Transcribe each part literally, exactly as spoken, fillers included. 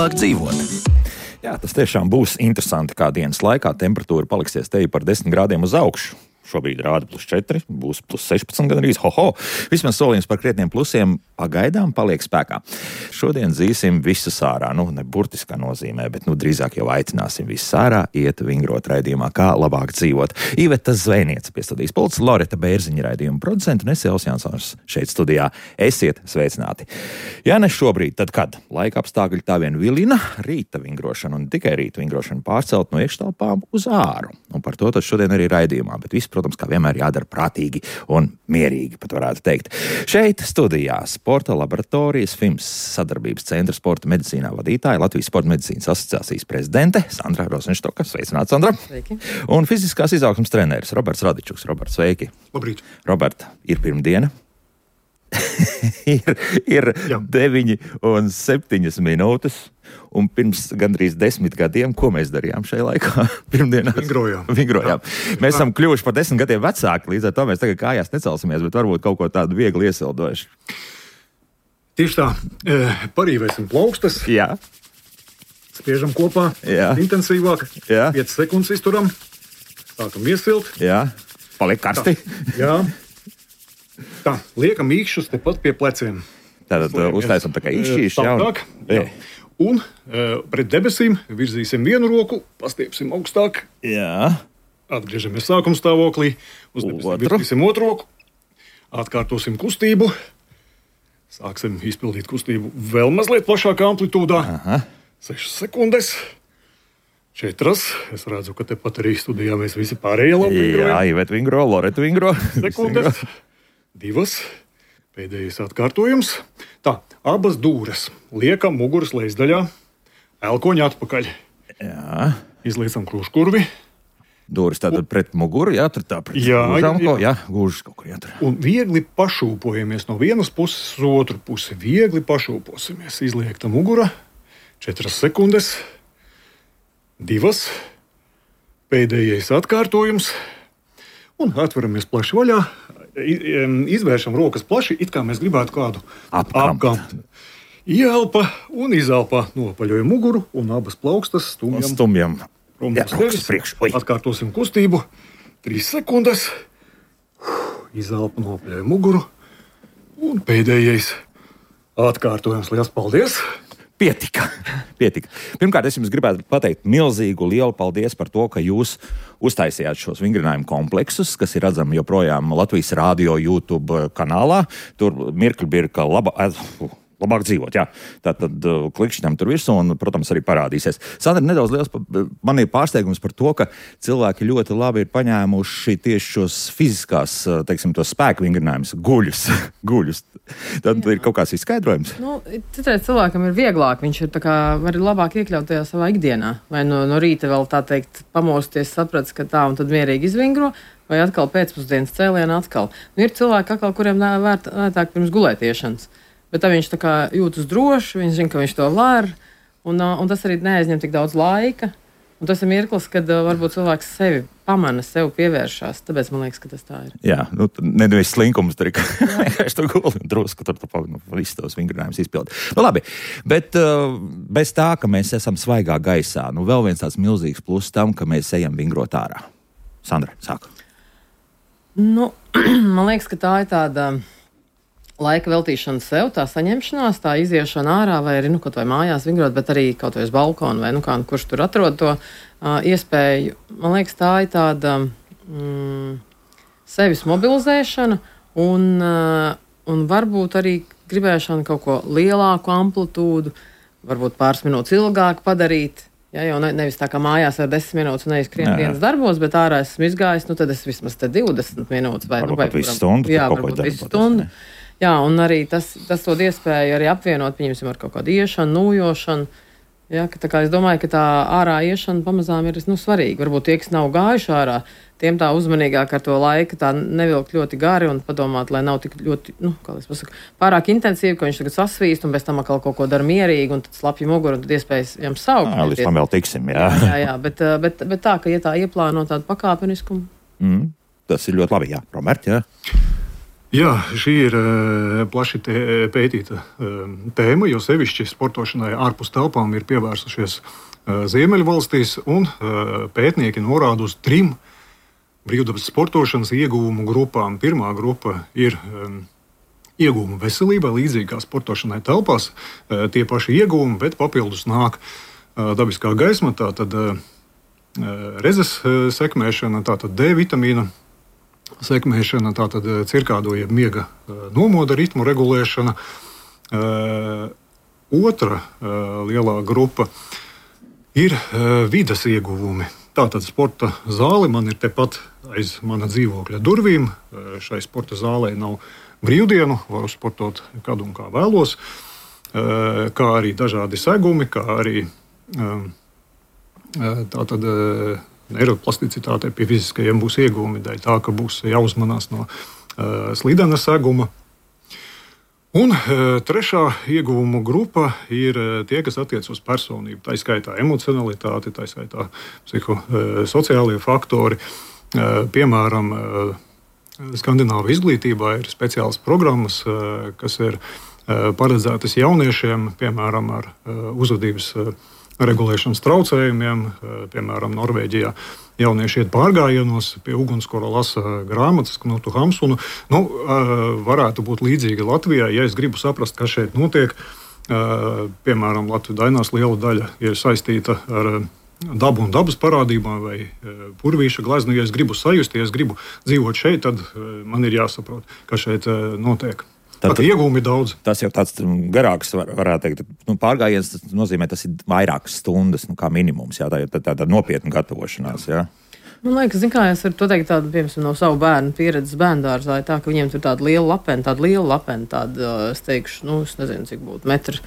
labāk dzīvot. Jā, tas tiešām būs interesanti, kā dienas laikā temperatūra paliksies teju par desmit grādiem uz augšu. Šobrīd rāda plus četri, būs plus sešpadsmit gan arī. Hoho! Vismaz solījums par krietniem plusiem pagaidām paliek spēkā. Šodien dzīsim visus ārā, nu, ne burtiskā nozīmē, bet nu, drīzāk jau aicināsim visus ārā iet vingrot raidījumā, kā labāk dzīvot. Iveta Zvejniece pie studijas pults, Loreta Bērziņa raidījuma producenta un es Jānis Jansons šeit studijā. Esiet sveicināti. Ja ne šobrīd, tad kad? Laika apstākļi tā vien vilina, rīta vingrošana un tikai rīta vingrošana pārcelt no iekštelpām uz āru. Un par to tad šodien arī raidījumā, bet viss, protams, kā vienmēr jādara prātīgi un mierīgi, pat varētu teikt. Šeit studijā Sporta laboratorijas F I M S sadarbības centra sporta medicīnā vadītāja, Latvijas Sporta medicīnas asociācijas prezidente Sandra Rozenštoka. Sveicināta, Sandra. Sveiki. Un fiziskās izaugsmes treneris Roberts Radičuks. Roberts, sveiki. Labrīt. Roberta, ir pirmdiena. ir ir deviņi un septiņas minūtes. Un pirms gandrīz desmit gadiem, ko mēs darījām šajā laikā? Pirmdienās Vingrojām. Vingrojām. Mēs esam kļuvuši par desmit gadiem vecāki, līdz ar to mēs tagad kājās necelsimies, bet varbūt kaut ko tādu viegli iesildojuši. Tieši tā, parīvēsim plaukstas, Jā, spiežam kopā, Jā. intensīvāk, Jā. piecas sekundes izturam, sākam iesilt. jā, paliek karsti. Jā. Tā, liekam īkšķus tepat pie pleciem. Tātad uh, uztaisam tā kā īšķīši. Tā, tā, jā. Un uh, pret debesīm virzīsim vienu roku, pastiepsim augstāk, Jā, atgriežamies sākuma stāvoklī, uz debesīm Otru. virzīsim otru roku, atkārtosim kustību, sāksim izpildīt kustību vēl mazliet plašākā amplitūdā. aha, Sešas sekundes, četras. Es redzu, ka tepat arī studijā mēs visi pārējie labi jā, vingrojam. Ivet vingro, Loreta vingro. Sekundes, divas, pēdējais atkārtojums. Tā, abas dūres liekam muguras lejasdaļā, elkoņa atpakaļ. Jā, Izliecam krūškurvi dūris tātad pret muguru, jā, tur tā pret Jā, gūžām, jā, jā. ko, jā, gūžas kaut kur jātur. un viegli pašūpojamies no vienas puses uz otru pusi. Viegli pašūposimies. Izliekta mugura, četras sekundes, divas, pēdējais atkārtojums un atveramies plaši vaļā. Izvēršam rokas plaši, it kā mēs gribētu kādu Apkampt. apkampt. Ieelpa un izelpa, nopaļojam muguru un abas plaukstas Un stumjam stumjam. prom Jā, no rokas sevis. priekš. Oi. Atkārtosim kustību. Trīs sekundes. Izelpa, nopaļojam muguru. Un pēdējais atkārtojums. Liels paldies! Pietika. Pietika. Pirmkārt, es jums gribētu pateikt milzīgu, lielu paldies par to, ka jūs uztaisījāt šos vingrinājumu kompleksus, kas ir redzami joprojām Latvijas Rādio YouTube kanālā. Tur mirkļi bija, ka laba, labāk dzīvot. Jā. Tātad klikšķinām tur virsū un, protams, arī parādīsies. Sandra, nedaudz liels, man ir pārsteigums par to, ka cilvēki ļoti labi ir paņēmuši tieši šos fiziskās, teiksim, tos spēku vingrinājumus, guļus. guļus. Tad ir kaut kāds izskaidrojums. Nu, citreiz cilvēkam ir vieglāk, viņš ir tā kā var labāk iekļaut tajā savā ikdienā. Vai no, no rīta vēl tā teikt pamosties, saprats, ka tā un tad mierīgi izvingro, vai atkal pēcpusdienas cēlienā atkal. Nu, ir cilvēki atkal, kuriem vērt, vērtāk pirms gulētiešanas. Bet tā viņš tā kā jūtas droši, viņš zina, ka viņš to var, un, un tas arī neaizņem tik daudz laika. Un tas ir mirklis, kad uh, varbūt cilvēks sevi pamana, sev pievēršās. Tāpēc man liekas, ka tas tā ir. Jā, nu, nevis slinkums tur ir, ka es to guli un drusku tur pa, nu, visus tos vingrinājumus izpildu. Nu, labi, bet uh, bez tā, ka mēs esam svaigā gaisā, nu, vēl viens tāds milzīgs pluss tam, ka mēs ejam vingrot ārā. Sandra, sāk. Nu, man liekas, ka tā ir tāda laika veltīšana sev, tā saņemšanās, tā iziešana ārā, vai arī nu, kaut vai mājās vingrot, bet arī kaut vai uz balkonu, vai nu kā, kurš tur atrod to uh, iespēju. Man liekas, tā ir tāda mm, sevis mobilizēšana un, uh, un varbūt arī gribēšana kaut ko lielāku amplitūdu, varbūt pāris minūtes ilgāk padarīt. Ja, jau ne, nevis tā kā mājās ar desmit minūtes un neizkrien dienas darbos, bet ārā esmu izgājis, nu tad es vismaz te divdesmit minūtes vai, Varbūt nu, vai pat visu stundu. Jā, varbūt visu stundu. Jā, un arī tas, tas dod iespēju arī apvienot, pieņemsim, ar kaut kādu iešanu, nūjošanu. Jā, ka, tā kā es domāju, ka tā ārā iešana pamazām ir nu, svarīga. Varbūt tie, kas nav gājuši ārā, tiem tā uzmanīgāk ar to laiku tā nevilkt ļoti gari un padomāt, lai nav tik ļoti, nu, kā es pasaku, pārāk intensīvi, ka viņš tagad sasvīst un bez tam atkal kaut ko dara mierīgi un tad slapja muguru un tad iespējas jām saukt. Jā, līdz tam vēl tiksim, jā. Jā, jā, bet, bet, bet tā, ka ja tā ieplāno tādu pakāpeniskumu. Mm, tas ir ļoti labi, jā. Robert, jā. Jā, šī ir plaši pētīta tēma, jo sevišķi sportošanai ārpus telpām ir pievērsušies Ziemeļvalstīs, un pētnieki norāda uz trim brīvdabas sportošanas ieguvumu grupām. Pirmā grupa ir ieguvumi veselībai, līdzīgi kā sportošanai telpās, tie paši ieguvumi, bet papildus nāk dabiskā gaisma, tātad rezes sekmēšana, tātad D vitamīna sekmēšana, tātad cirkādo jeb miega nomoda ritmu regulēšana. Otra lielā grupa ir vides ieguvumi. Tātad sporta zāle man ir tepat aiz mana dzīvokļa durvīm. Šai sporta zālē nav brīvdienu, varu sportot kad un kā vēlos, kā arī dažādi segumi, kā arī tātad neiroplasticitātei pie fiziskajiem būs ieguvumi, dēļ tā, ka būs jāuzmanās no uh, slidena seguma. Un uh, trešā ieguvumu grupa ir uh, tie, kas attiec uz personību. Tā skaitā emocionalitāte, tā skaitā psihosociālie faktori. Uh, piemēram, uh, Skandināvu izglītībā ir speciālas programmas, uh, kas ir uh, paredzētas jauniešiem, piemēram, ar uh, uzvedības uh, regulēšanas traucējumiem. Piemēram, Norvēģijā jaunieši iet pārgājienos, pie ugunskura lasa grāmatas Knutu Hamsunu. Nu, varētu būt līdzīgi Latvijai, ja es gribu saprast, kas šeit notiek. Piemēram, Latvijas dainās liela daļa ir saistīta ar dabu un dabas parādībām vai purvīša gleznu. Ja es gribu sajust, ja es gribu dzīvot šeit, tad man ir jāsaprot, kas šeit notiek. Tad iegūmi daudz. Tas jau tāds garāks, var, varētu teikt, nu, pārgājiens, tas nozīmē, tas ir vairākas stundas, nu, kā minimums, jā, tā ir tā, tāda nopietna gatavošanās, jā. Man liekas, zin kā, es varu to teikt tādu, piemēram, no savu bērnu pieredzes bērndārzā, tā, ka viņiem tur tāda liela lapena, tāda liela lapena, tāda, es teikšu, nu, es nezinu, cik būtu, metru,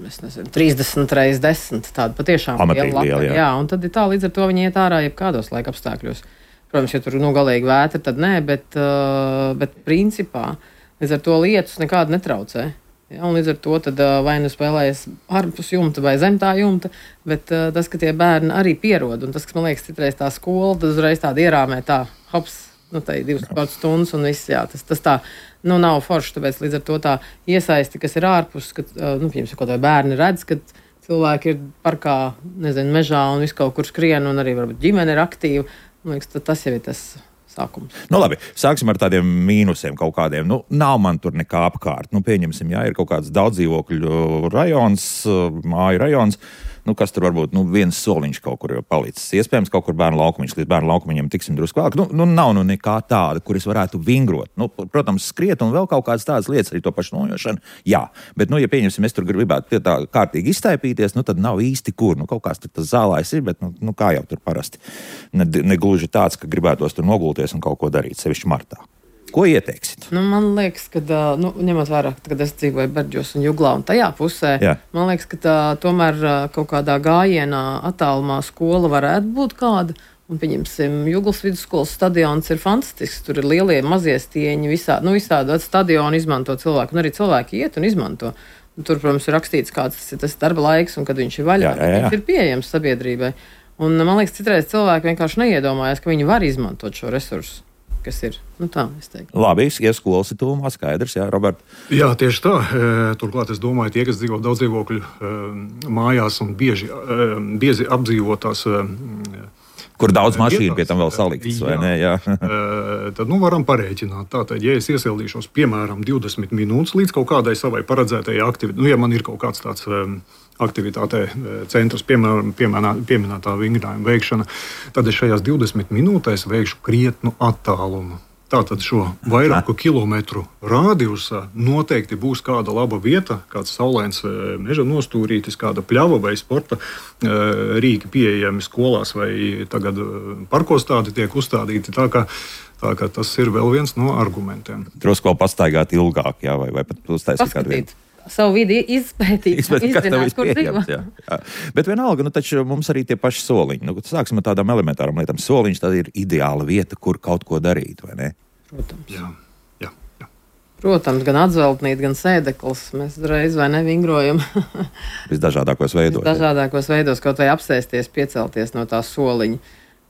es nezinu, trīsdesmit reiz desmit, tāda patiešām Amatīgi liela lapena, liela, jā. jā, un tad ir tā, līdz ar to viņi iet ārā jebkādos laika apstākļos. Protams, ja tur, nu, galīgi vētra, tad nē, bet, uh, bet principā, līdz ar to lietus nekādu netraucē. Ja, un līdz ar to tad, vai nu spēlējas ārpus jumta vai zem tā jumta, bet uh, tas, ka tie bērni arī pierod, un tas, kas man liekas citreiz tā skola, tad uzreiz tāda ierāmē tā, hops, nu tā ir divas pārts stundas un viss, jā, tas, tas tā, nu nav forši, tāpēc līdz ar to tā iesaisti, kas ir ārpus, kad, uh, nu, piemēram, ko tā bērni redz, kad cilvēki ir parkā, nezinu, mežā un visu kaut kur skrien, un arī varbūt ģimene ir aktīva, man liekas, tas jau ir tas sākums. Nu, labi, sāksim ar tādiem mīnusiem kaut kādiem. Nu, nav man tur nekā apkārt. Nu, pieņemsim, jā, ir kaut kāds daudzdzīvokļu rajons, māju rajons, nu, kas tur varbūt nu, viens soliņš kaut kur jau palicis. Iespējams, kaut kur bērnu laukumiņš, līdz bērnu laukumiņam tiksim drusku vēlāk. Nu, nu, nav nu nekā tāda, kur es varētu vingrot. Nu, protams, skriet un vēl kaut kādas tādas lietas, arī to pašu nojošanu. Jā, bet, nu, ja pieņemsim, es tur gribētu pie tā kārtīgi iztaipīties, nu, tad nav īsti kur. Nu, kaut kāds tur tas zālājs ir, bet, nu, nu kā jau tur parasti. Ne, ne gluži tāds, ka gribētos tur nogulties un kaut ko darīt, sevišķi martā. Ko ieteiksit? Nu, man liekas, ka, nu, ņemot vērā, kad es dzīvoju Berģos un Juglā un tajā pusē, jā. Man liekas, ka tā, tomēr kaut kādā gājienā attālumā skola varētu būt kāda. Un, pieņemsim, Juglas vidusskolas stadions ir fantastisks. Tur ir lielie mazie stieņi, visā, nu, visādi stadioni izmanto cilvēku, un arī cilvēki iet un izmanto. Un tur, protams, ir rakstīts, kāds tas ir tas darba laiks un kad viņš ir vaļā. Jā, jā, jā. Viņš ir pieejams sabiedrībai. Un, man liekas, citreiz cilvēki vienkārši neiedomājas, ka viņi var izmantot šo resursu. Kas ir. Nu tā, es teiktu. Labi, ja skolas ir tuvumā, skaidrs, jā, Robert? Jā, tieši tā. Turklāt es domāju, tie, kas dzīvo daudz dzīvokļu mājās un bieži, bieži apdzīvotās. Kur daudz mašīnu pie tam vēl saliktas, vai ne? Jā. Tad, nu, varam parēķināt. Tātad, ja es iesildīšos, piemēram, divdesmit minūtes līdz kaut kādai savai paredzētajai aktivitātei, nu, ja man ir kaut kāds tāds aktivitātē centrs, piemēram, pieminētā vingrinājuma veikšana, tad es šajās divdesmit minūtēs veikšu krietnu attālumu. Tātad šo vairāku kilometru rādījusā noteikti būs kāda laba vieta, kāds saulains meža nostūrītis, kāda pļava vai sporta rīki pieejami skolās vai tagad parkos tādi tiek uzstādīti. Tā kā, tā kā tas ir vēl viens no argumentiem. Drusku vēl pastaigāt ilgāk, jā, vai, vai pat uztaisīt kādu vietu. Savu vidi izpētīt, izpētīt izzināt, kur dzīvo. Jā, jā. Bet vienalga, nu taču mums arī tie paši soliņi. Nu, sāksim ar tādām elementārām lietām. Soliņš tad ir ideāla vieta, kur kaut ko darīt, vai ne? Protams. Jā, jā, jā. Protams, gan atzeltnīt, gan sēdeklis. Mēs reiz vai nevingrojam. Visdažādākos veidos. Visdažādākos veidos, kaut vai apsēsties, piecelties no tā soliņa.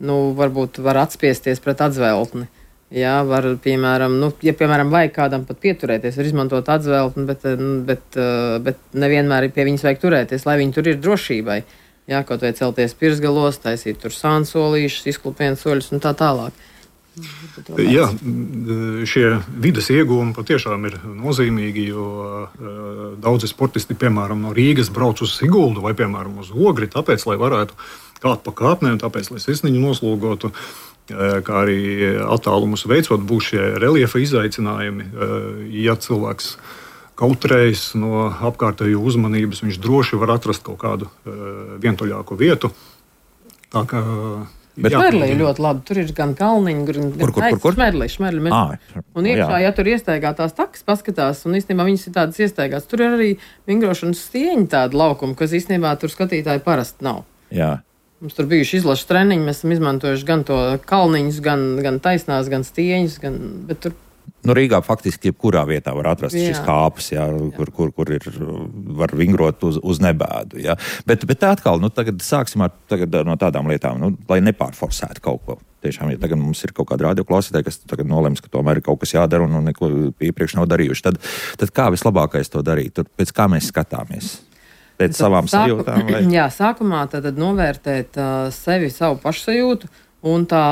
Nu, varbūt var atspiesties pret atzeltni. Jā, var, piemēram, nu, ja, piemēram, vajag kādam pat pieturēties, var izmantot atzveltni, bet, bet, bet nevienmēr pie viņas vajag turēties, lai viņi tur ir drošībai. Jā, kaut vai celties pirsgalos, taisīt tur sānsolīšus, izklupienu soļus un tā tālāk. Jā, šie vides iegūmi patiešām ir nozīmīgi, jo daudzi sportisti, piemēram, no Rīgas brauc uz Siguldu vai, piemēram, uz Ogri, tāpēc, lai varētu kāpt pa kāpnēm, tāpēc, lai sirsniņu noslogotu, kā arī attālumus veicot, būs šie reliefa izaicinājumi. Ja cilvēks kautrējas no apkārtējo uzmanības, viņš droši var atrast kaut kādu vientuļāku vietu. Tā kā Šmerlī ļoti labi. Tur ir gan kalniņi, gan kur, kur, kur, kur? šmerlī, šmerlī. À, un iekšā, jā. Ja tur iestaigātās takas paskatās, un īstenībā viņas ir tādas iestaigātas, tur ir arī vingrošanas stieņi tādi laukumi, kas īstenībā tur skatītāji parasti nav. Jā. Mums tur bijuši izlaša treniņi, mēs esam izmantojuši gan to kalniņus, gan, gan taisnās, gan stieņus, gan, bet tur... Nu, Rīgā faktiski jebkurā vietā var atrast jā. Šis kāpes, jā, kur, kur, kur ir, var vingrot uz, uz nebēdu. Jā. Bet, bet atkal, nu, tagad sāksim ar, tagad no tādām lietām, nu, lai nepārforsētu kaut ko. Tiešām, ja tagad mums ir kaut kāda radioklausītāja, kas tagad nolems, ka tomēr ir kaut kas jādara un, un neko iepriekš nav darījuši, tad, tad kā vislabākais to darīt? Tur, pēc kā mēs skatāmies? Pēc tad savām sāku, sajūtām? Vai? Jā, sākumā tad novērtēt uh, sevi, savu pašsajūtu un tā,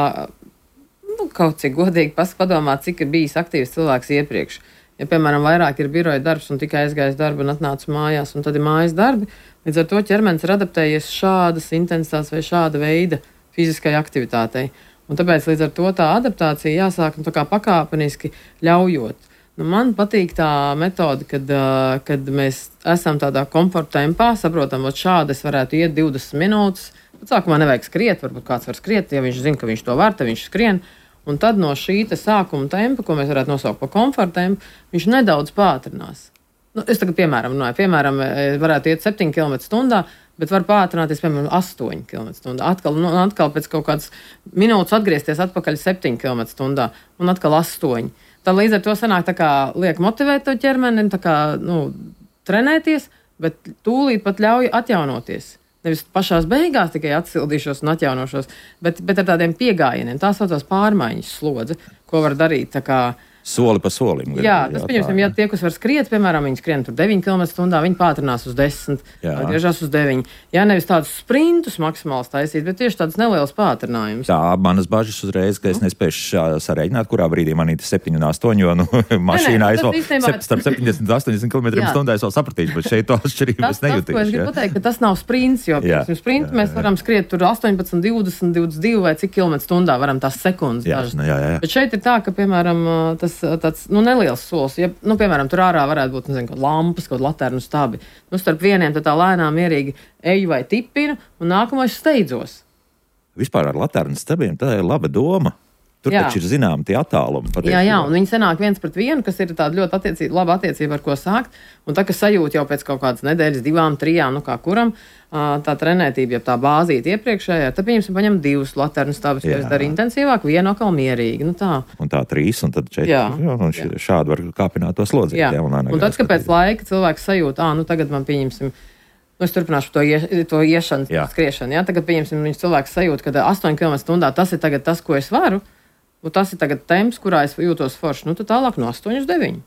nu, kaut cik godīgi padomāt, cik ir bijis aktīvs cilvēks iepriekš. Ja, piemēram, vairāk ir biroja darbs un tikai aizgājis darbu un atnācis mājās, un tad ir mājas darbi, līdz ar to ķermenis ir adaptējies šādas intensitātes vai šāda veida fiziskai aktivitātei. Un tāpēc līdz ar to tā adaptācija jāsāk nu, tā kā pakāpeniski ļaujot. Nu, man patīk tā metode, kad, uh, kad mēs esam tādā komforta tempā, saprotam, ka šādi es varētu iet divdesmit minūtes. Pat sākumā nevajag skriet, varbūt kāds var skriet, ja viņš zina, ka viņš to var, tad viņš skrien. Un tad no šī sākuma tempa, ko mēs varētu nosaukt par komforta tempu, viņš nedaudz pātrinās. Nu, es tagad, piemēram, runāju, piemēram, varētu iet septiņi kilometri stundā, bet var pātrināties, piemēram, astoņi kilometri stundā. Atkal, nu, atkal pēc kaut kādas minūtes atgriezties atpakaļ septiņi kilometri stundā un atkal astoņi. Tad līdz ar to sanāk tā kā liek motivēt to ķermeni, tā kā, nu, trenēties, bet tūlīt pat ļauj atjaunoties. Nevis pašās beigās tikai atsildīšos un atjaunošos, bet, bet ar tādiem piegājieniem. Tā saucās pārmaiņas slodze, ko var darīt tā kā soli pa solim. Jā, tas, pieņemsim, ja tie, kas var skriet, piemēram, viņi skrien tur deviņi kilometri stundā, viņi pātrinās uz desmit, griežās uz deviņi. Jā, nevis tādus sprintus maksimāls taisīt, bet tieši tādus nelielus pātrinājumus. Tā, manas bažas uzreiz, ka es nespēšu sareiķināt, kurā brīdī man ir septiņi un astoņi, jo, nu, mašīnā es vēl starp septiņdesmit un astoņdesmit kilometriem stundā es vēl sapratīšu, bet šeit to atšķirību es nejutīšu. Tas, ko es gribu pateikt, ka tas nav sprints, jo, piemēram, sprintu mēs varam skriet tur astoņpadsmit, divdesmit, divdesmit divi vai cik kilometri stundā varam tās sekundes. Jā, jā, jā. Bet šeit ir tā, ka, piemēram, tas tāds, nu, neliels solis. Ja, nu, piemēram, tur ārā varētu būt, nezinu, kaut lampas, kaut laternu stabi. Nu, starp vieniem tad tā lēnām mierīgi eju vai tipinu, un nākamais steidzos. Vispār ar laternu stabiem tā ir laba doma. Tur jā. Taču ir zinām tie attālumi. Jā, jā, un viņi sanāk viens pret vienu, kas ir tāda ļoti attiecība, laba attiecība, ar ko sākt. Un tā, kas sajūt jau pēc kaut kādas nedēļas, divām, trijām, nu kā kuram, tā trenētība, ja tā bāzīta iepriekšējā, tad, pieņemsim, paņem divus laternu stabus, kas dara intensīvāk, vienu atkal mierīgi. Nu tā. Un tā trīs, un tad četri. Jā, jā, un š, šādi var kāpināt to slodzīt. Jā, jā, un, un tad, kad pēc laika cilvēks sajūt, ā, nu tagad man pieņemsim, nu es turpināšu to, ie, to iešanu, skriešanu, jā, tagad pieņemsim, viņš cilvēks sajūt, ka astoņi kilometri stundā tas ir tagad tas, ko es varu. Un tas ir tagad temps, kurā es jūtos forši. Nu, tad tālāk no astoņi uz deviņi.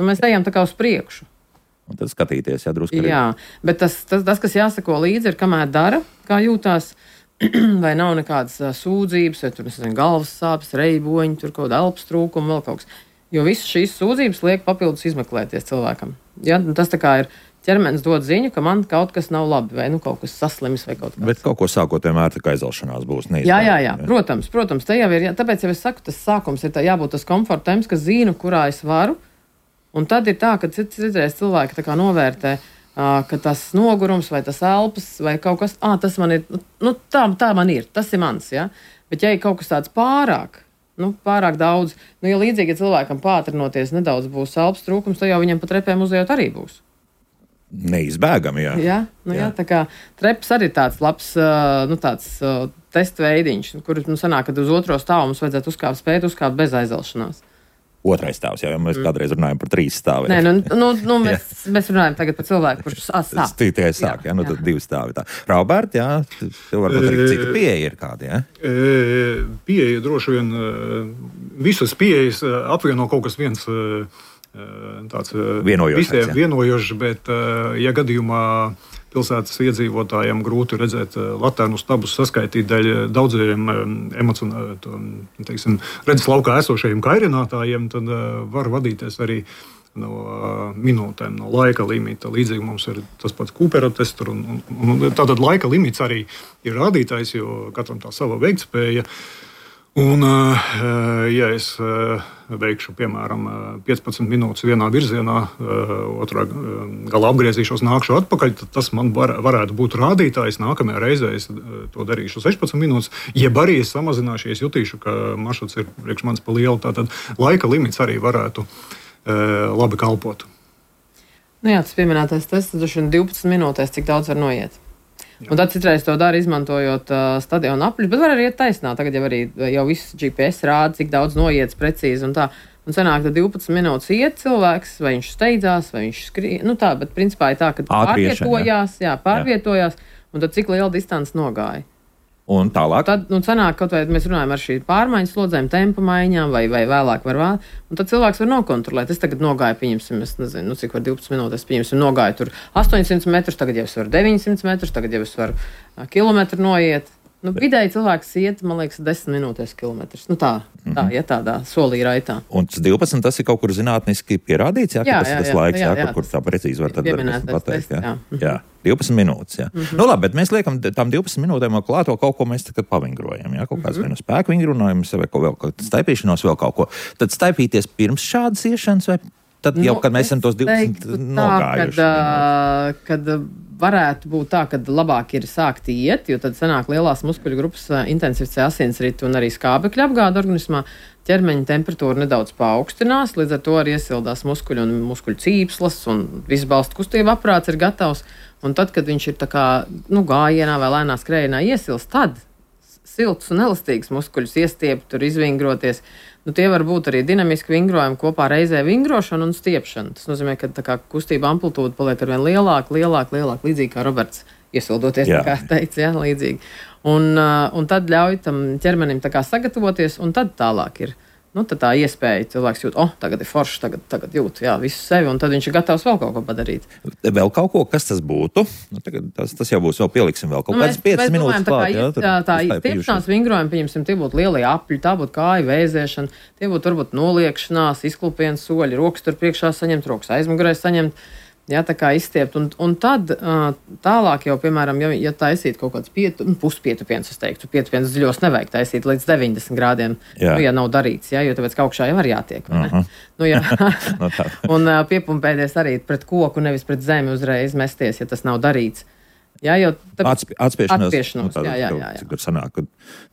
Nu, mēs ejam tā kā uz priekšu. Un tad skatīties, jā, drusku arī. Jā, bet tas, tas, tas, kas jāsako līdzi, ir, kamēr dara, kā jūtās, vai nav nekādas uh, sūdzības, vai tur, nezinu, galvas sāpes, reiboņi, tur kaut kāda elpas trūkuma, vēl kaut kas. Jo visas šīs sūdzības liek papildus izmeklēties cilvēkam. Ja? Tas tā kā ir. Ķermenis dod ziņu, ka man kaut kas nav labi, vai nu kaut kas saslims, vai kaut kas. Bet kaut ko sākot vienmēr tā kā aizalšanās būs neizbēgami. Jā, jā, jā, protams, protams, te jau ir, jā, tāpēc jau es saku, tas sākums ir tā, jābūt tas komforta temps, ka zinu, kurā es varu, un tad ir tā, ka citreiz cilvēki tā kā novērtē, ka tas nogurums, vai tas elpas, vai kaut kas, ā, tas man ir, nu tā, tā man ir, tas ir mans, jā, bet ja ir kaut kas tāds pārāk, nu, pārāk daudz, nu, ja līdzīgi ja cilvēkam pātrinoties nedaudz būs elpas trūkums, tad jau viņam pat repēm uzejot arī būs. Neizbēgami, jā. Jā, nu jā. jā, tā kā treps arī tāds labs, nu tāds testu veidiņš, kur, nu, sanāk, kad uz otro stāvu mums vajadzētu uzkāpt, spēt uzkāpt bez aizelšanās. Otrais stāvs, jā, jo mēs mm. kādreiz runājam par trīs stāviem. Nē, nu, nu, nu mēs, mēs runājam tagad par cilvēku, kurš sāk. Tikai sāk, jā, jā, nu tad divi stāvi tā. Raubert, jā, tev varbūt arī cita pieeja ir kāda, jā? Pieeja droši vien, visas pieejas apvieno kaut kas viens tāds visiem vienojošs, bet ja gadījumā pilsētas iedzīvotājiem grūti redzēt latērnu stabus, saskaitīt dēļ daudziem teiksim, redzes laukā esošajiem kairinātājiem, tad var vadīties arī no minūtēm, no laika limita. Līdzīgi mums ir tas pats Kūpera tests, un, un, un tātad laika limits arī ir rādītājs, jo katram tā sava veiktspēja. Un, ja es veikšu, piemēram, piecpadsmit minūtes vienā virzienā, otrā galā apgriezīšos, nākšu atpakaļ, tad tas man var, varētu būt rādītājs. Nākamajā reizē es to darīšu sešpadsmit minūtes, jeb arī es samazināšu, ja es jutīšu, ka maršruts ir priekš manis pa lielu. Tātad laika limits arī varētu labi kalpot. Nu jā, tas pieminētais tests, tas divpadsmit minūtēs, cik daudz var noiet. Jā. Un tad citreiz to dara, izmantojot uh, stadionu apļus, bet var arī iet taisnā. Tagad jau arī jau viss G P S rāda, cik daudz noiets precīzi un tā. Un sanāk, ka divpadsmit minūtes iet cilvēks, vai viņš steidzās, vai viņš skrien. Nu tā, bet principā ir tā, ka pārvietojās, jā, pārvietojās, jā. Un tad cik liela distance nogāja. Un tālāk? Tad, nu, sanāk, kaut vai mēs runājam ar šī pārmaiņas slodzēm, tempa maiņām, vai, vai vēlāk var vēl. Un tad cilvēks var nokontrolēt. Es tagad nogāju, pieņemsim, es nezinu, nu, cik var divpadsmit minūtes, pieņemsim, nogāju tur astoņsimt metrus, tagad jau es varu deviņsimt metrus, tagad jau es varu kilometru noiet. Nu, vidēji cilvēks iet, man liekas, desmit minūtēs kilometrus. Nu tā, tā, ja tādā solī raitā. Un tas divpadsmit, tas ir kaut kur zinātniski pierādīts, jā, jā, ka tas ir tas jā, laiks, jā, jā, jā, kur, kur tā precīzi var tad pateikt. Jā. Jā. jā, divpadsmit minūtes, jā. Mm-hmm. Nu labi, bet mēs liekam tam divpadsmit minūtēm klāto kaut ko mēs tagad pavingrojam, jā, kaut kāds mm-hmm. vai no spēku vingrinājums, vai kaut vēl kaut staipīšanos, vēl kaut ko. Tad staipīties pirms šādas iešanas, vai tad jau, nu, kad mēs esam tos divpadsmit nogājuši? Tā, kad, kad varētu būt tā, ka labāk ir sākt iet, jo tad sanāk lielās muskuļu grupas intensificē asinsritu un arī skābekļa apgāde organismā. Ķermeņa temperatūra nedaudz paaugstinās, līdz ar to arī iesildās muskuļi un muskuļu cīpslas un viss balstu kustība aprāts ir gatavs. Un tad, kad viņš ir tā kā, nu, gājienā vai lēnā skrējienā iesilst, tad silts un elastīgs muskuļus iestiept, tur izvingroties. Nu, tie var būt arī dinamiski vingrojumi kopā reizē vingrošana un stiepšana. Tas nozīmē, ka tā kā kustība amplitūda paliek arvien lielāka, lielāka, lielāka, līdzīgi kā Roberts iesildoties, jā. Tā kā teica, jā, līdzīgi. Un, un tad ļauj tam ķermenim tā kā sagatavoties, un tad tālāk ir. Nu, tad tā iespēja cilvēks jūt, oh, tagad ir foršs, tagad, tagad jūt, jā, visu sevi, un tad viņš ir gatavs vēl kaut ko padarīt. Vēl kaut ko, kas tas būtu? Nu, tagad tas, tas jau būs, vēl pieliksim vēl kaut nu, kāds piecas minūtes klāt. Jā, tā tā izstiepšanās vingrojumi, pieņemsim, tie būtu lielie apļi, tā būtu kāju vēzēšana, tie būtu varbūt noliekšanās, izklupienas soļi, rokas tur priekšā saņemt, rokas aizmugurē saņemt. Jā, tā kā izstiept. Un, un tad tālāk jau, piemēram, ja, ja taisīt kaut kāds pietu, nu, puspietupiens, es teiktu, pietupiens dziļos nevajag taisīt līdz deviņdesmit grādiem, jā. Nu, ja nav darīts, jā, jo tāpēc ka augšā jau var jātiek, vai ne? Uh-huh. Nu, jā. no un uh, piepumpēties arī pret koku, nevis pret zemi uzreiz mesties, ja tas nav darīts. Jā, jau Atsp atspiešanos, atspiešanos nu, jā, jā, jā, jā. Cik tur sanāk,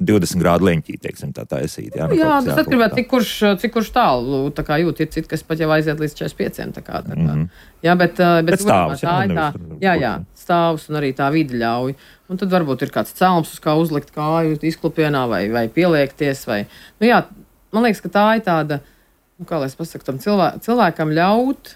divdesmit grādu leņķī, teiksim, tā taisīt. Jā, nu, jā tas atkarībā, cik kurš, cik kurš tālu, tā kā jūt, ir citi, kas pat jau aiziet līdz četrdesmit pieciem, tā kā, tā kā. Mm-hmm. Jā, bet, bet, bet stāvus, tā ir tā, jā, jā, stāvus un arī tā vidi ļauj. Un tad varbūt ir kāds celms, uz kā uzlikt kāju izklupienā vai, vai pieliekties, vai, nu jā, man liekas, ka tā ir tāda, nu kā lai es pasaku, tam cilvē, cilvēkam ļaut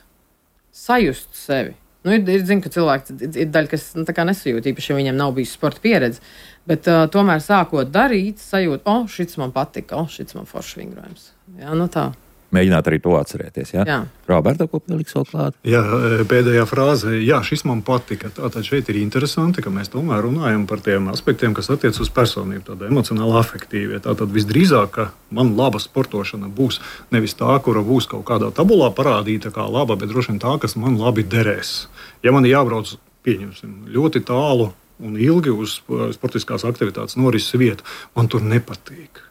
sajust sevi. Nu, ir, ir zinu, ka cilvēki ir daļa, kas nu, tā kā nesajūt, īpaši, ja viņiem nav bijis sporta pieredze, bet uh, tomēr sākot darīt, sajūt, o, oh, šits man patika, o, oh, šits man foršs vingrojums. Jā, nu tā. Mēģināt arī to atcerēties, jā? Jā. Roberta, ko pieliks vēl klāt? Jā, pēdējā frāze, jā, šis man patika. Tātad šeit ir interesanti, ka mēs tomēr runājam par tiem aspektiem, kas attiec uz personību, tāda emocionāli afektīvie. Tātad visdrīzāk, ka man laba sportošana būs nevis tā, kura būs kaut kādā tabulā parādīta kā laba, bet droši vien tā, kas man labi derēs. Ja man jābrauc, pieņemsim, ļoti tālu un ilgi uz sportiskās aktivitātes norises vietu, man tur nepatīk.